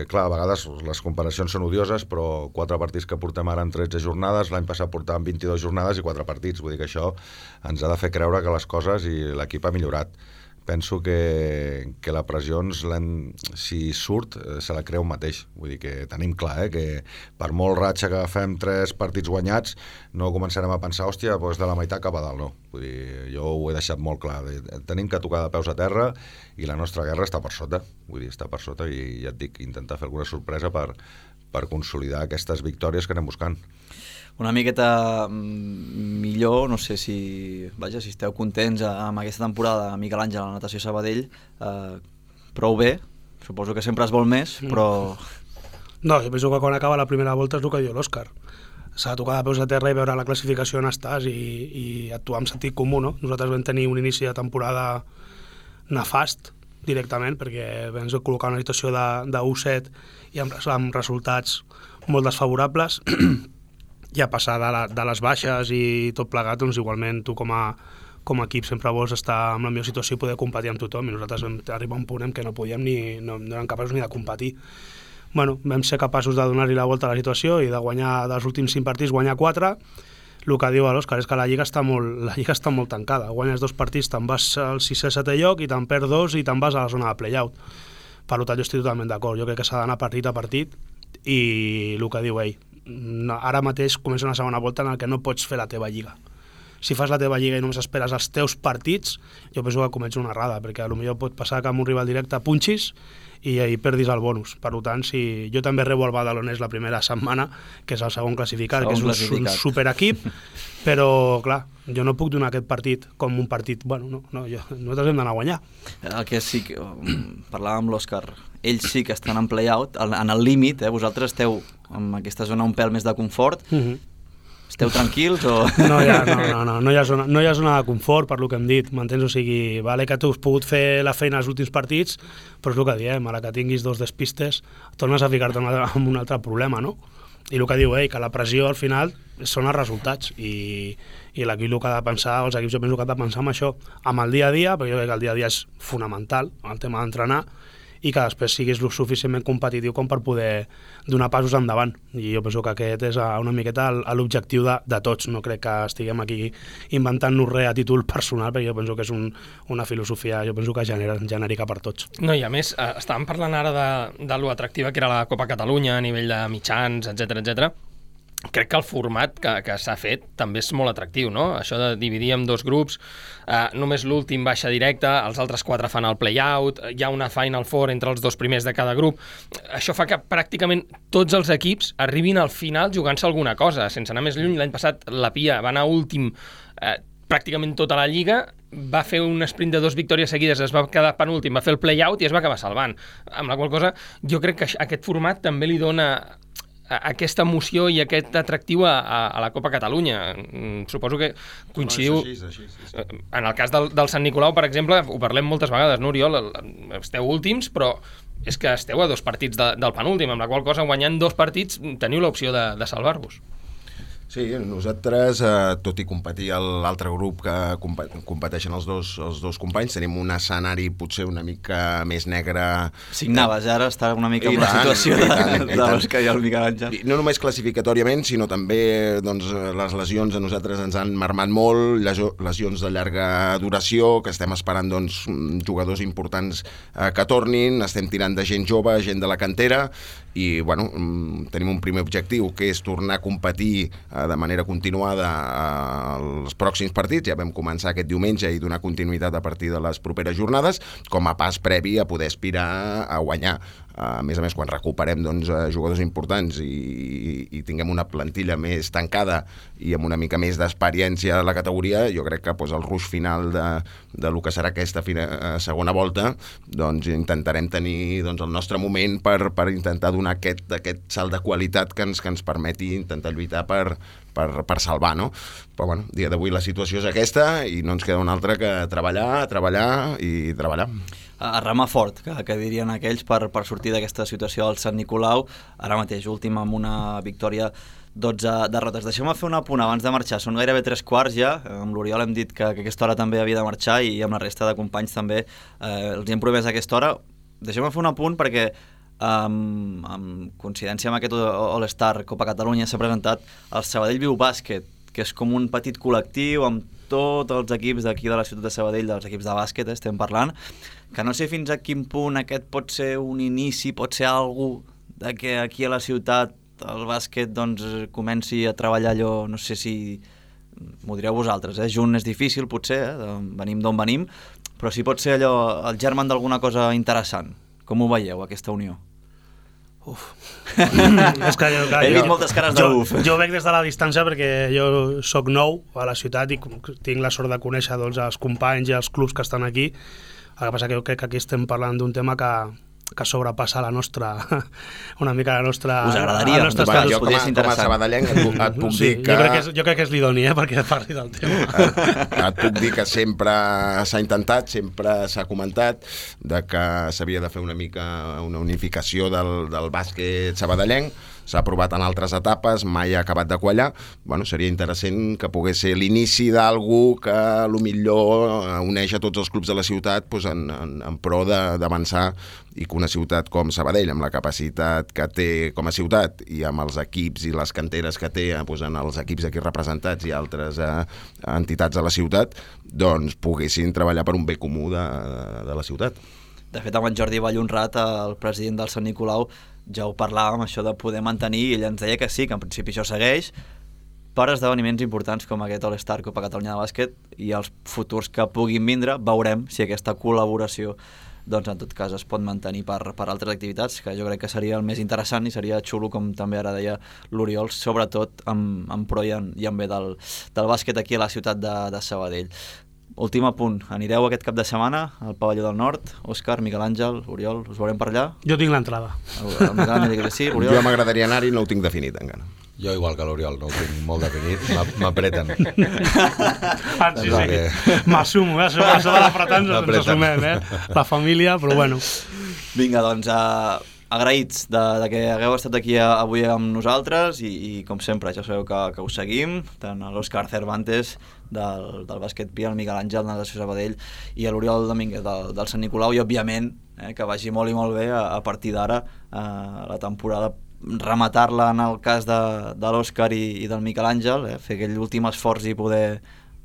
clar, a vegades les comparacions són odioses, però quatre partits que portem ara en tretze jornades, l'any passat portàvem vint-i-dues jornades i quatre partits. Vull dir que això ens ha de fer creure que les coses i l'equip ha millorat. Penso que, que la pressió, ens si surt, se la creu mateix. Vull dir que tenim clar, eh, que per molt ratxa que fem tres partits guanyats, no començarem a pensar, hòstia, doncs de la meitat cap a dalt, no. Vull dir, jo ho he deixat molt clar. Tenim que tocar de peus a terra i la nostra guerra està per sota. Vull dir, està per sota i ja et dic, intentar fer alguna sorpresa per, per consolidar aquestes victòries que anem buscant. Una miqueta millor, no sé si, vaja, si esteu contents amb aquesta temporada, Miguel Àngel, a la Natació Sabadell, eh, prou bé, suposo que sempre es vol més, però... No, jo penso que quan acaba la primera volta és el que diu l'Òscar. S'ha de tocar de peus a terra i veure la classificació on estàs i, i actuar amb sentit comú, no? Nosaltres vam tenir un inici de temporada nefast, directament, perquè vam col·locar una situació de, de u set i amb, amb resultats molt desfavorables. I a passar de, la, de les baixes i tot plegat, doncs igualment tu com a, com a equip sempre vols estar en la millor situació i poder competir amb tothom, i nosaltres vam arribar a un punt en què no podíem ni, no, no érem capaços ni de competir. Bueno, vam ser capaços de donar-li la volta a la situació i de guanyar dels últims cinc partits, guanyar quatre. El que diu l'Òscar és que la Lliga està molt, la Lliga està molt tancada. Guanyes dos partits, te'n vas al sisè setè lloc i te'n perds dos i te'n vas a la zona de play-out. Per tant, jo estic totalment d'acord. Jo crec que s'ha d'anar partit a partit i el que diu ell, no, ara mateix comença una segona volta en què no pots fer la teva lliga. si fas la teva lliga i només esperes els teus partits, jo penso que comets una errada, perquè potser pot passar que amb un rival directe punxis i, i perdis el bonus. Per tant, si jo també rebo el Badalonès la primera setmana, que és el segon classificat, segon que és un, classificat. un superequip, però, clar, jo no puc donar aquest partit com un partit... Bueno, no, no jo, nosaltres hem d'anar a guanyar. El que sí que... Parlàvem amb l'Òscar, ells sí que estan en play-out, en el límit, eh? Vosaltres esteu en aquesta zona un pèl més de confort, mm-hmm. Esteu tranquils o...? No hi ha, no, no, no, no hi ha, zona, no hi ha zona de confort, per lo que hem dit, m'entens? O sigui, vale que tu has pogut fer la feina als últims partits, però és el que diem, a la que tinguis dos despistes, tornes a ficar-te en un altre problema, no? I el que diu ell, que la pressió al final són els resultats, i, i l'equip el que ha de pensar, els equips jo penso que ha de pensar amb això, amb el dia a dia, perquè jo crec que el dia a dia és fonamental, el tema d'entrenar, i que després siguis lo suficientment competitiu com per poder donar passos endavant. I jo penso que aquest és una miqueta l'objectiu de, de tots. No crec que estiguem aquí inventant-nos res a títol personal, perquè jo penso que és un, una filosofia jo penso que genera, genèrica per tots. No, i a més, eh, estàvem parlant ara de, de lo atractiva que era la Copa Catalunya a nivell de mitjans, etcètera, etcètera. Crec que el format que, que s'ha fet també és molt atractiu, no? Això de dividir en dos grups, eh, només l'últim baixa directe, els altres quatre fan el play-out, hi ha una Final Four entre els dos primers de cada grup. Això fa que pràcticament tots els equips arribin al final jugant-se alguna cosa. Sense anar més lluny, l'any passat la Pia va anar últim eh, pràcticament tota la lliga, va fer un sprint de dues victòries seguides, es va quedar penúltim, va fer el play-out i es va acabar salvant. Amb la qual cosa, jo crec que aquest format també li dona aquesta emoció i aquest atractiu a, a, a la Copa Catalunya. Suposo que coincidiu... No, és així, és així, sí. En el cas del, del Sant Nicolau, per exemple, ho parlem moltes vegades, no, Oriol? Esteu últims, però és que esteu a dos partits de, del penúltim, amb la qual cosa, guanyant dos partits, teniu l'opció de, de salvar-vos. Sí, nosaltres, eh, tot i competir a l'altre grup que competeixen els dos, els dos companys, tenim un escenari potser una mica més negre. Signaves, ara està una mica en la situació de, de, de los que hi ha el Miquel Àngel. No només classificatoriament, sinó també doncs, les lesions a nosaltres ens han marmat molt, lesions de llarga duració, que estem esperant doncs, jugadors importants eh, que tornin, estem tirant de gent jove, gent de la cantera, i bueno, tenim un primer objectiu, que és tornar a competir de manera continuada als pròxims partits. Ja vam començar aquest diumenge i donar continuïtat a partir de les properes jornades, com a pas previ a poder aspirar a guanyar. A més a més, quan recuperem doncs, jugadors importants i, i tinguem una plantilla més tancada i amb una mica més d'experiència a la categoria, jo crec que doncs, el ruix final de, de lo que serà aquesta fina, segona volta, doncs intentarem tenir doncs, el nostre moment per, per intentar donar aquest, aquest salt de qualitat que ens, que ens permeti intentar lluitar per, per, per salvar, no? Però bueno, dia d'avui la situació és aquesta i no ens queda una altra que treballar, treballar i treballar. A remar fort, que, que dirien aquells, per, per sortir d'aquesta situació al Sant Nicolau. Ara mateix, últim amb una victòria, dotze derrotes. Deixeu-me fer un apunt abans de marxar. Són gairebé tres quarts ja. Amb l'Oriol hem dit que, que aquesta hora també havia de marxar i amb la resta de companys també eh, els hem promès aquesta hora. Deixeu-me fer un apunt perquè Um, amb coincidència amb aquest All-Star Copa Catalunya s'ha presentat el Sabadell Viu Bàsquet, que és com un petit col·lectiu amb tots els equips d'aquí de la ciutat de Sabadell, dels equips de bàsquet, eh, estem parlant, que no sé fins a quin punt aquest pot ser un inici, pot ser algú de que aquí a la ciutat el bàsquet doncs, comenci a treballar allò, no sé si m'ho direu vosaltres, eh? Junt és difícil potser, eh? Venim d'on venim, però sí pot ser allò el germen d'alguna cosa interessant. Com ho veieu, aquesta unió? Uf. És que jo, clar, he vist moltes cares de jo, uf. Jo veig des de la distància perquè jo soc nou a la ciutat i tinc la sort de conèixer doncs, els companys i els clubs que estan aquí. El que passa que jo crec que aquí estem parlant d'un tema que, que sobrepassa la nostra, una mica la nostra... Us agradaria? Bueno, jo com a, com a sabadellenc et, et puc sí, dir que... Jo crec que és, jo crec que és l'idoni, eh, perquè parli del tema. Et, et puc dir que sempre s'ha intentat, sempre s'ha comentat de que s'havia de fer una mica una unificació del, del bàsquet sabadellenc. S'ha aprovat en altres etapes, mai ha acabat de quallar. Bueno, seria interessant que pogués ser l'inici d'algú que a lo millor uneix a tots els clubs de la ciutat pues, en, en, en pro d'avançar i que una ciutat com Sabadell, amb la capacitat que té com a ciutat i amb els equips i les canteres que té pues, en els equips aquí representats i altres eh, entitats de la ciutat, doncs poguessin treballar per un bé comú de, de la ciutat. De fet, amb en Jordi Vallhonrat, el president del Sant Nicolau, ja ho parlàvem, això de poder mantenir, i ell ens deia que sí, que en principi això segueix, per esdeveniments importants com aquest All-Star Copa Catalunya de Bàsquet i els futurs que puguin vindre. Veurem si aquesta col·laboració doncs en tot cas es pot mantenir per, per altres activitats, que jo crec que seria el més interessant i seria xulo, com també ara deia l'Oriol, sobretot en, en pro i en, i en bé del, del bàsquet aquí a la ciutat de, de Sabadell. Últim apunt, anireu aquest cap de setmana al Pavelló del Nord? Òscar, Miquel Àngel, Oriol, us veurem per allà? Jo tinc l'entrada. El, el Miquel Àngel diu que sí, Oriol? Jo m'agradaria anar-hi, no ho tinc definit encara. Jo igual que l'Oriol, no ho tinc molt definit, m'apreten. Ah, sí, sí, m'assumo, eh? Sobre això de l'apretar-nos ens assumem, eh? La família, però bueno. Vinga, doncs, uh, agraïts de, de que hagueu estat aquí avui amb nosaltres i, i com sempre, ja sabeu que, que us seguim, tant l'Òscar Cervantes del, del Bàsquet Pia, el Miquel Àngel de la Sabadell i l'Oriol Domínguez del, del Sant Nicolau, i òbviament eh, que vagi molt i molt bé a, a partir d'ara uh, la temporada, rematar-la en el cas de, de l'Òscar i, i del Miquel Àngel, eh, fer aquell últim esforç i poder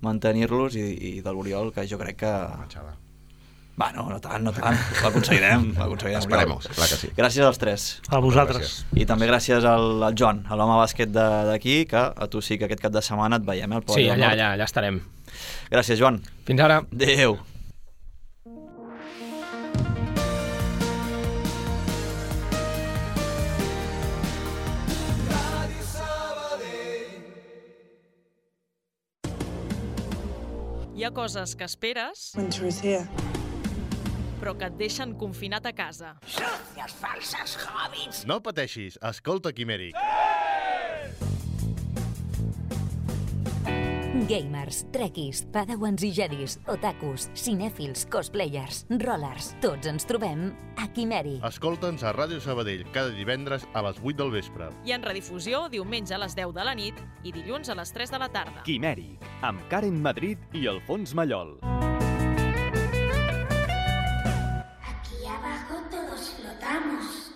mantenir-los, i, i de l'Oriol, que jo crec que... Va, no, no tant, no tant, l'aconseguirem, l'aconseguirem. Esperemos, clar que sí. Gràcies als tres. A vosaltres. I també gràcies al, al Joan, a l'home bàsquet d'aquí, que a tu sí que aquest cap de setmana et veiem al Pavelló del Nord. Sí, allà, allà, allà estarem. Gràcies, Joan. Fins ara. Adéu. Hi ha coses que esperes, però que et deixen confinat a casa. Socios falsos hobbits! No pateixis, escolta Quimèric. Gamers, trekkies, padawans i jedis, otakus, cinèfils, cosplayers, rollers, tots ens trobem a Quimèric. Escolta'ns a Ràdio Sabadell cada divendres a les vuit del vespre. I en redifusió diumenge a les deu de la nit i dilluns a les tres de la tarda. Quimèric, amb Karen Madrid i Alfons Mallol. Aquí abajo todos flotamos.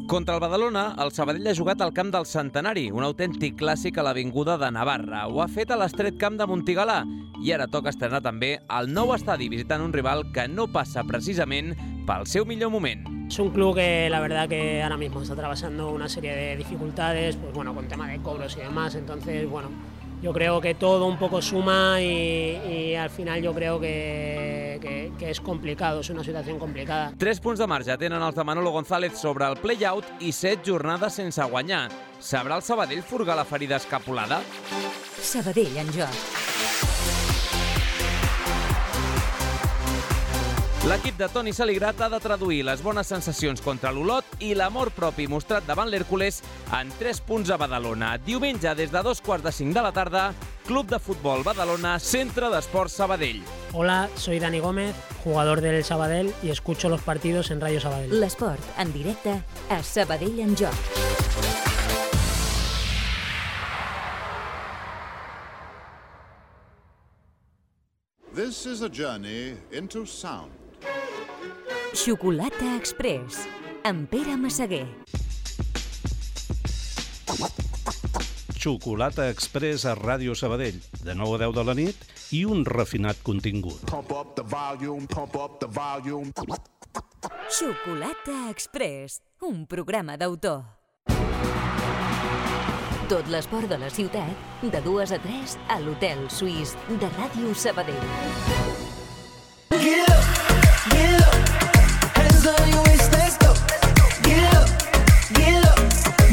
Contra el Badalona, el Sabadell ha jugat al camp del Centenari, un autèntic clàssic a l'Avinguda de Navarra. Ho ha fet a l'estret camp de Montigalà i ara toca estrenar també el nou estadi visitant un rival que no passa precisament pel seu millor moment. Es un club que la verdad que ahora mismo está atravesando una serie de dificultades, pues bueno, con tema de cobros y demás, entonces bueno, yo creo que todo un poco suma y, y al final yo creo que, que, que es complicado, es una situación complicada. Tres punts de marge tenen els de Manolo González sobre el play-out i set jornades sense guanyar. Sabrà el Sabadell furgar la ferida escapulada? Sabadell en joc. L'equip de Toni Saligrat ha de traduir les bones sensacions contra l'Olot i l'amor propi mostrat davant l'Hèrcules en tres punts a Badalona. Diumenge, des de dos quarts de cinc de la tarda, Club de Futbol Badalona, Centre d'Esports Sabadell. Hola, soy Dani Gómez, jugador del Sabadell y escucho los partidos en Radio Sabadell. L'esport en directe a Sabadell en joc. This is a journey into sound. Xocolata Express, amb Pere Massaguer. Xocolata Express a Ràdio Sabadell, de nou a deu de la nit, i un refinat contingut. Pump up the volume, pump up the volume. Xocolata Express, un programa d'autor. Tot l'esport de la ciutat, de dues a tres, a l'Hotel Suís de Ràdio Sabadell. Get up, get up, hands on your waist, let's go. Get up, get up,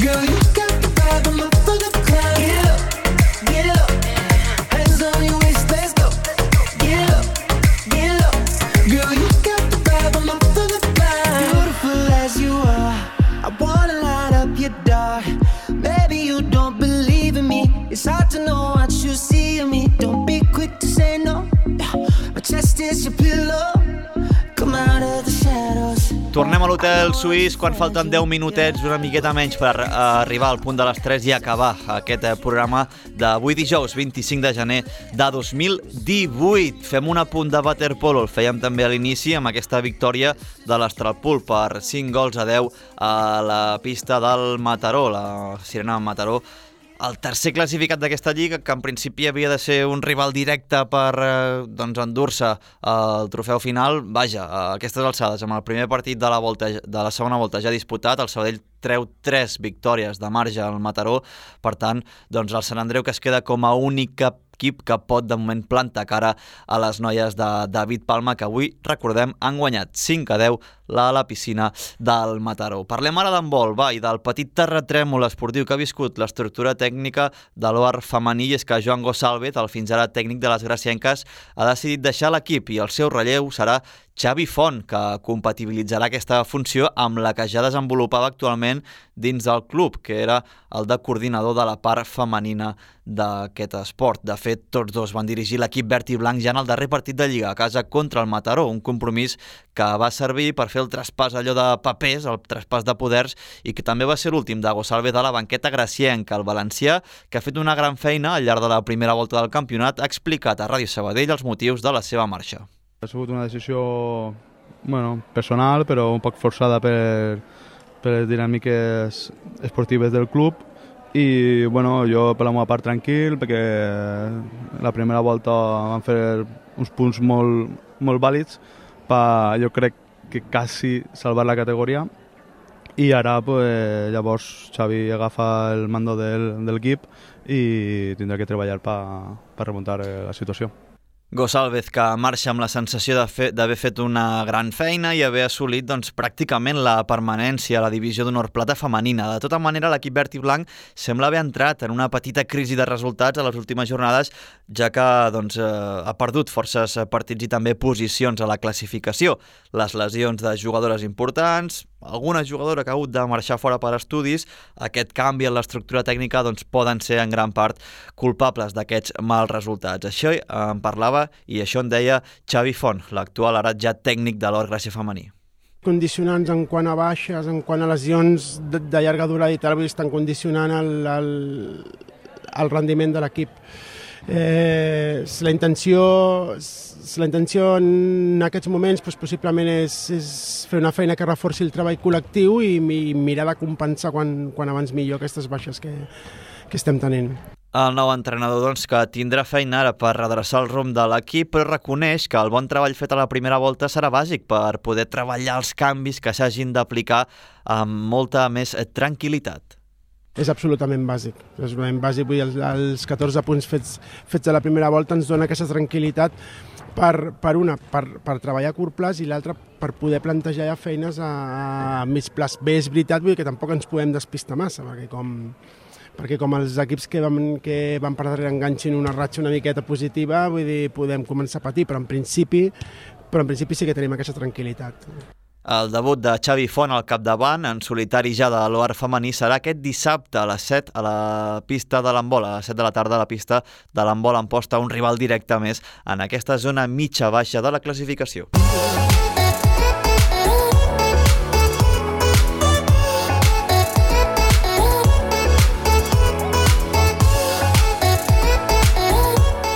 girl, you got the vibe, I'm up for the climb. Get up, get up, hands on your waist, let's go. Get up, get up, girl, you got the vibe, I'm up for the climb. Beautiful as you are, I wanna light up your dark. Maybe you don't believe in me, it's hard to know what you see in me. Don't be quick to say no, my chest is your pillow. Come out of the shadows. Tornem a l'Hotel Suís quan falten deu minutets, una miqueta menys per uh, arribar al punt de les tres i acabar aquest uh, programa d'avui dijous, vint-i-cinc de gener de dos mil divuit. Fem un apunt de waterpolo, el fèiem també a l'inici amb aquesta victòria de l'Astralpool per cinc gols a deu a la pista del Mataró, la Sirena Mataró, el tercer classificat d'aquesta lliga, que en principi havia de ser un rival directe per eh, doncs, endur-se el trofeu final, vaja, a aquestes alçades, amb el primer partit de la, volta, de la segona volta ja disputat, el Sabadell treu tres victòries de marge al Mataró, per tant, doncs el Sant Andreu que es queda com a únic equip que pot de moment plantar cara a les noies de David Palma, que avui, recordem, han guanyat cinc a deu a la piscina del Mataró. Parlem ara d'handbol, va, i del petit terratrèmol esportiu que ha viscut l'estructura tècnica de l'O A R femení, i és que Joan Gosalvez, el fins ara tècnic de les gracienques, ha decidit deixar l'equip i el seu relleu serà Xavi Font, que compatibilitzarà aquesta funció amb la que ja desenvolupava actualment dins del club, que era el de coordinador de la part femenina d'aquest esport. De fet, tots dos van dirigir l'equip verd i blanc ja en el darrer partit de Lliga a casa contra el Mataró, un compromís que va servir per fer el traspàs allò de papers, el traspàs de poders, i que també va ser l'últim de Gosalvez a la banqueta gracienca. El valencià, que ha fet una gran feina al llarg de la primera volta del campionat, ha explicat a Ràdio Sabadell els motius de la seva marxa. Ha sigut una decisió bueno, personal, però un poc forçada per, per les dinàmiques esportives del club, i bueno, jo per la meva part tranquil, perquè la primera volta vam fer uns punts molt, molt vàlids per, jo crec que quasi salvar la categoria, i ara pues, llavors Xavi agafa el mando del, del equip i tindrà que treballar per, per remuntar la situació. Gosalvez, que marxa amb la sensació d'haver fet una gran feina i haver assolit doncs, pràcticament la permanència a la divisió d'honor plata femenina. De tota manera, l'equip verd i blanc sembla haver entrat en una petita crisi de resultats a les últimes jornades, ja que doncs, eh, ha perdut forces partits i també posicions a la classificació. Les lesions de jugadores importants, alguna jugadora que ha hagut de marxar fora per estudis, aquest canvi en l'estructura tècnica doncs, poden ser en gran part culpables d'aquests mals resultats. Això en parlava i això en deia Xavi Font, l'actual ara ja tècnic de l'O A R Gràcia femení. Condicionants en quant a baixes, en quant a lesions de, de llarga durada i tal, estan condicionant el, el, el rendiment de l'equip. Eh, la intenció la intenció en aquests moments doncs, possiblement és, és fer una feina que reforci el treball col·lectiu i, i mirar de compensar quan, quan abans millor aquestes baixes que, que estem tenint. El nou entrenador doncs, que tindrà feina ara per redreçar el rumb de l'equip, però reconeix que el bon treball fet a la primera volta serà bàsic per poder treballar els canvis que s'hagin d'aplicar amb molta més tranquil·litat. És absolutament bàsic. És absolutament bàsic. Vull dir, els, els catorze punts fets, fets a la primera volta ens dona aquesta tranquil·litat per, per una, per, per treballar a curt plaç i l'altra per poder plantejar ja feines a, a mig plaç. Bé, és veritat, vull dir que tampoc ens podem despistar massa, perquè com, perquè com els equips que van, que van per darrere enganxin una ratxa una miqueta positiva, vull dir, podem començar a patir, però en principi, però en principi sí que tenim aquesta tranquil·litat. El debut de Xavi Font al capdavant, en solitari ja de l'O A R femení, serà aquest dissabte a les set a la pista de l'handbol, a les set de la tarda a la pista de l'handbol Amposta, un rival directe més en aquesta zona mitja-baixa de la classificació.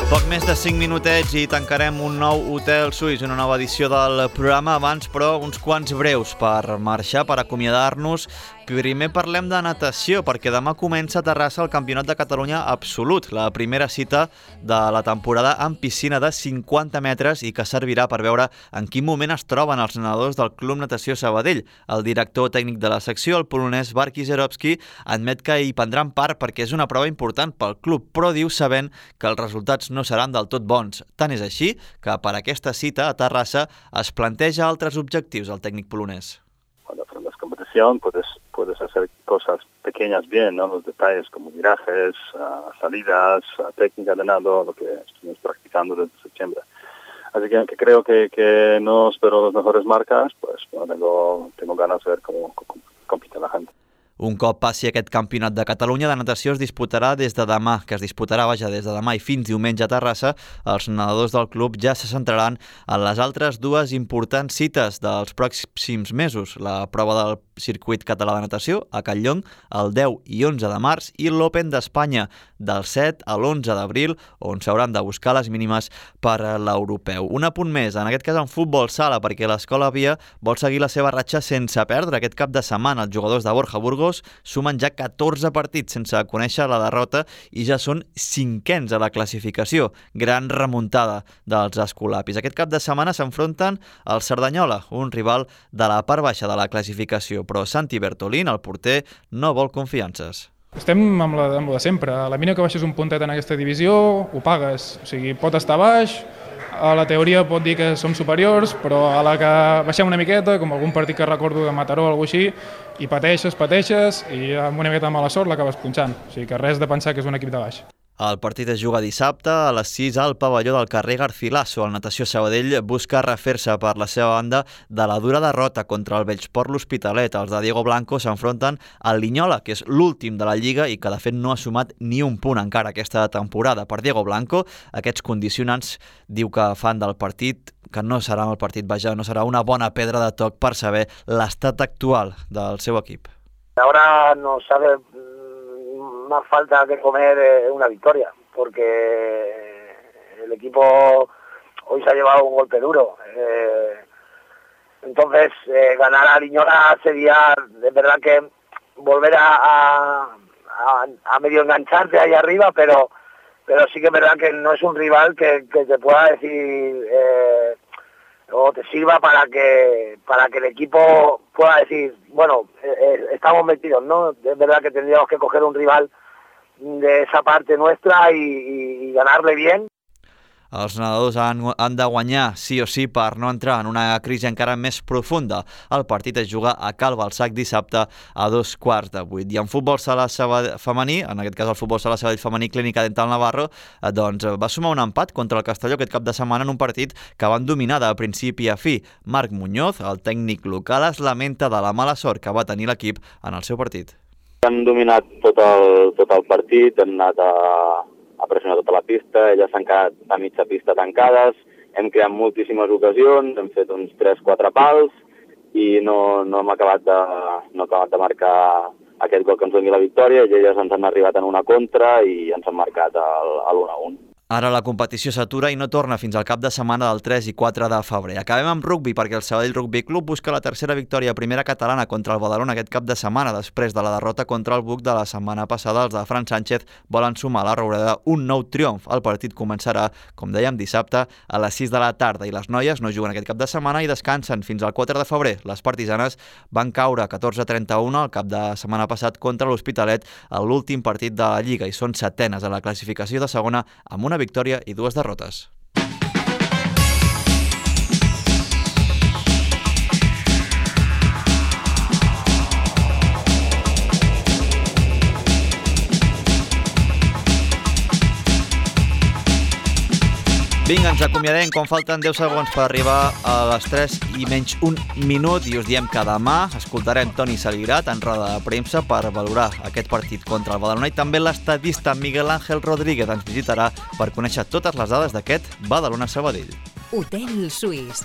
Poc més de cinc minutets i tancarem un nou Hotel Suís, una nova edició del programa. Abans, però, uns quants breus per marxar, per acomiadar-nos. Primer parlem de natació, perquè demà comença a Terrassa el Campionat de Catalunya Absolut, la primera cita de la temporada en piscina de cinquanta metres i que servirà per veure en quin moment es troben els nedadors del Club Natació Sabadell. El director tècnic de la secció, el polonès Barki Zerovski, admet que hi prendran part perquè és una prova important pel club, però diu sabent que els resultats no seran del tot bons. Tant és així que per aquesta cita a Terrassa es planteja altres objectius el tècnic polonès. Cuando aprendes competición puedes, puedes hacer cosas pequeñas bien, ¿no? Los detalles como virajes, uh, salidas, uh, técnica de nado, lo que estuvimos practicando desde septiembre. Así que, que creo que, que no espero las mejores marcas, pues bueno, tengo, tengo ganas de ver cómo, cómo compite la gente. Un cop passi aquest campionat de Catalunya de natació es disputarà des de demà, que es disputarà vaja des de demà i fins diumenge a Terrassa. Els nedadors del club ja se centraran en les altres dues importants cites dels pròxims mesos, la prova del circuit català de natació a Catlllong el deu i onze de març i l'Open d'Espanya del set a l'onze d'abril, on s'hauran de buscar les mínimes per a l'europeu. Un apunt més, en aquest cas en futbol sala, perquè l'Escola Via vol seguir la seva ratxa sense perdre aquest cap de setmana. Els jugadors de Borja Burgos Burgos sumen ja catorze partits sense conèixer la derrota i ja són cinquens a la classificació. Gran remuntada dels escolapis. Aquest cap de setmana s'enfronten al Cerdanyola, un rival de la part baixa de la classificació, però Santi Bertolín, el porter, no vol confiances. Estem amb la, amb la de sempre. A la mina que baixes un puntet en aquesta divisió, ho pagues. O sigui, pot estar baix, a la teoria pot dir que som superiors, però a la que baixem una miqueta, com algun partit que recordo de Mataró o alguna cosa així, i pateixes, pateixes, i amb una miqueta de mala sort l'acabes punxant. O sigui que res de pensar que és un equip de baix. El partit es juga dissabte a les sis al pavelló del carrer Garcilaso. El Natació Sabadell busca refer-se per la seva banda de la dura derrota contra el Bellsport l'Hospitalet. Els de Diego Blanco s'enfronten al Linyola, que és l'últim de la Lliga i que de fet no ha sumat ni un punt encara aquesta temporada. Per Diego Blanco, aquests condicionants diu que fan del partit que no serà el partit, vaja, no serà una bona pedra de toc per saber l'estat actual del seu equip. Ahora no sabe más falta que comer una victoria, porque el equipo hoy se ha llevado un golpe duro. Eh, entonces, eh, ganar a Liñola sería, de verdad que volver a, a, a, a medio engancharte ahí arriba, pero, pero sí que es verdad que no es un rival que, que te pueda decir eh, o te sirva para que para que el equipo pueda decir, bueno, eh, estamos metidos, ¿no? Es verdad que tendríamos que coger un rival de esa parte nuestra y, y, y ganarle bien. Els nedadors han, han de guanyar sí o sí per no entrar en una crisi encara més profunda. El partit es juga a Cal Balsac dissabte a dos quarts de vuit. I en futbol sala femení, en aquest cas el futbol sala Sabadell femení Clínica Dental Navarro, eh, doncs va sumar un empat contra el Castelló aquest cap de setmana en un partit que van dominar de principi a fi. Marc Muñoz, el tècnic local, es lamenta de la mala sort que va tenir l'equip en el seu partit. Han dominat tot el, tot el partit, han anat a, a pressionar tota la pista, elles s'han quedat a mitja pista tancades, hem creat moltíssimes ocasions, hem fet uns tres quatre pals i no, no hem acabat de, no hem acabat de marcar aquest gol que ens doni la victòria, i elles ens han arribat en una contra i ens han marcat l'u a un. Ara la competició s'atura i no torna fins al cap de setmana del tres i quatre de febrer. Acabem amb rugbi perquè el Sabadell Rugby Club busca la tercera victòria primera catalana contra el Badalona aquest cap de setmana. Després de la derrota contra el Buc de la setmana passada, els de Fran Sánchez volen sumar a la Roureda un nou triomf. El partit començarà, com dèiem, dissabte a les sis de la tarda i les noies no juguen aquest cap de setmana i descansen fins al quatre de febrer. Les partisanes van caure catorze a trenta-u el cap de setmana passat contra l'Hospitalet a l'últim partit de la Lliga i són setenes a la classificació de segona amb una victòria i dues derrotes. Vinga, ens acomiadem quan falten deu segons per arribar a les tres i menys un minut i us diem que demà escoltarem Toni Saligrat en roda de premsa per valorar aquest partit contra el Badalona i també l'estadista Miguel Ángel Rodríguez ens visitarà per conèixer totes les dades d'aquest Badalona-Sabadell. Hotel Suís.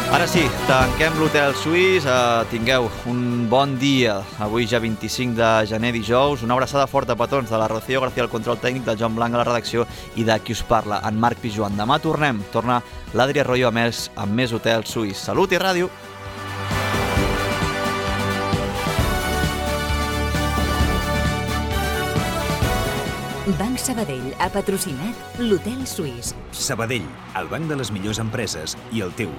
Ara sí, tanquem l'Hotel Suís, eh, tingueu un bon dia, avui ja vint-i-cinc de gener, dijous, una abraçada forta a petons de la Rocío García, el control tècnic, del Joan Blanc a la redacció i de qui us parla, en Marc Pijuan. Demà tornem, torna l'Adri Arroyo amb més, amb més Hotel Suís. Salut i ràdio! Banc Sabadell ha patrocinat l'Hotel Suís. Sabadell, el banc de les millors empreses i el teu.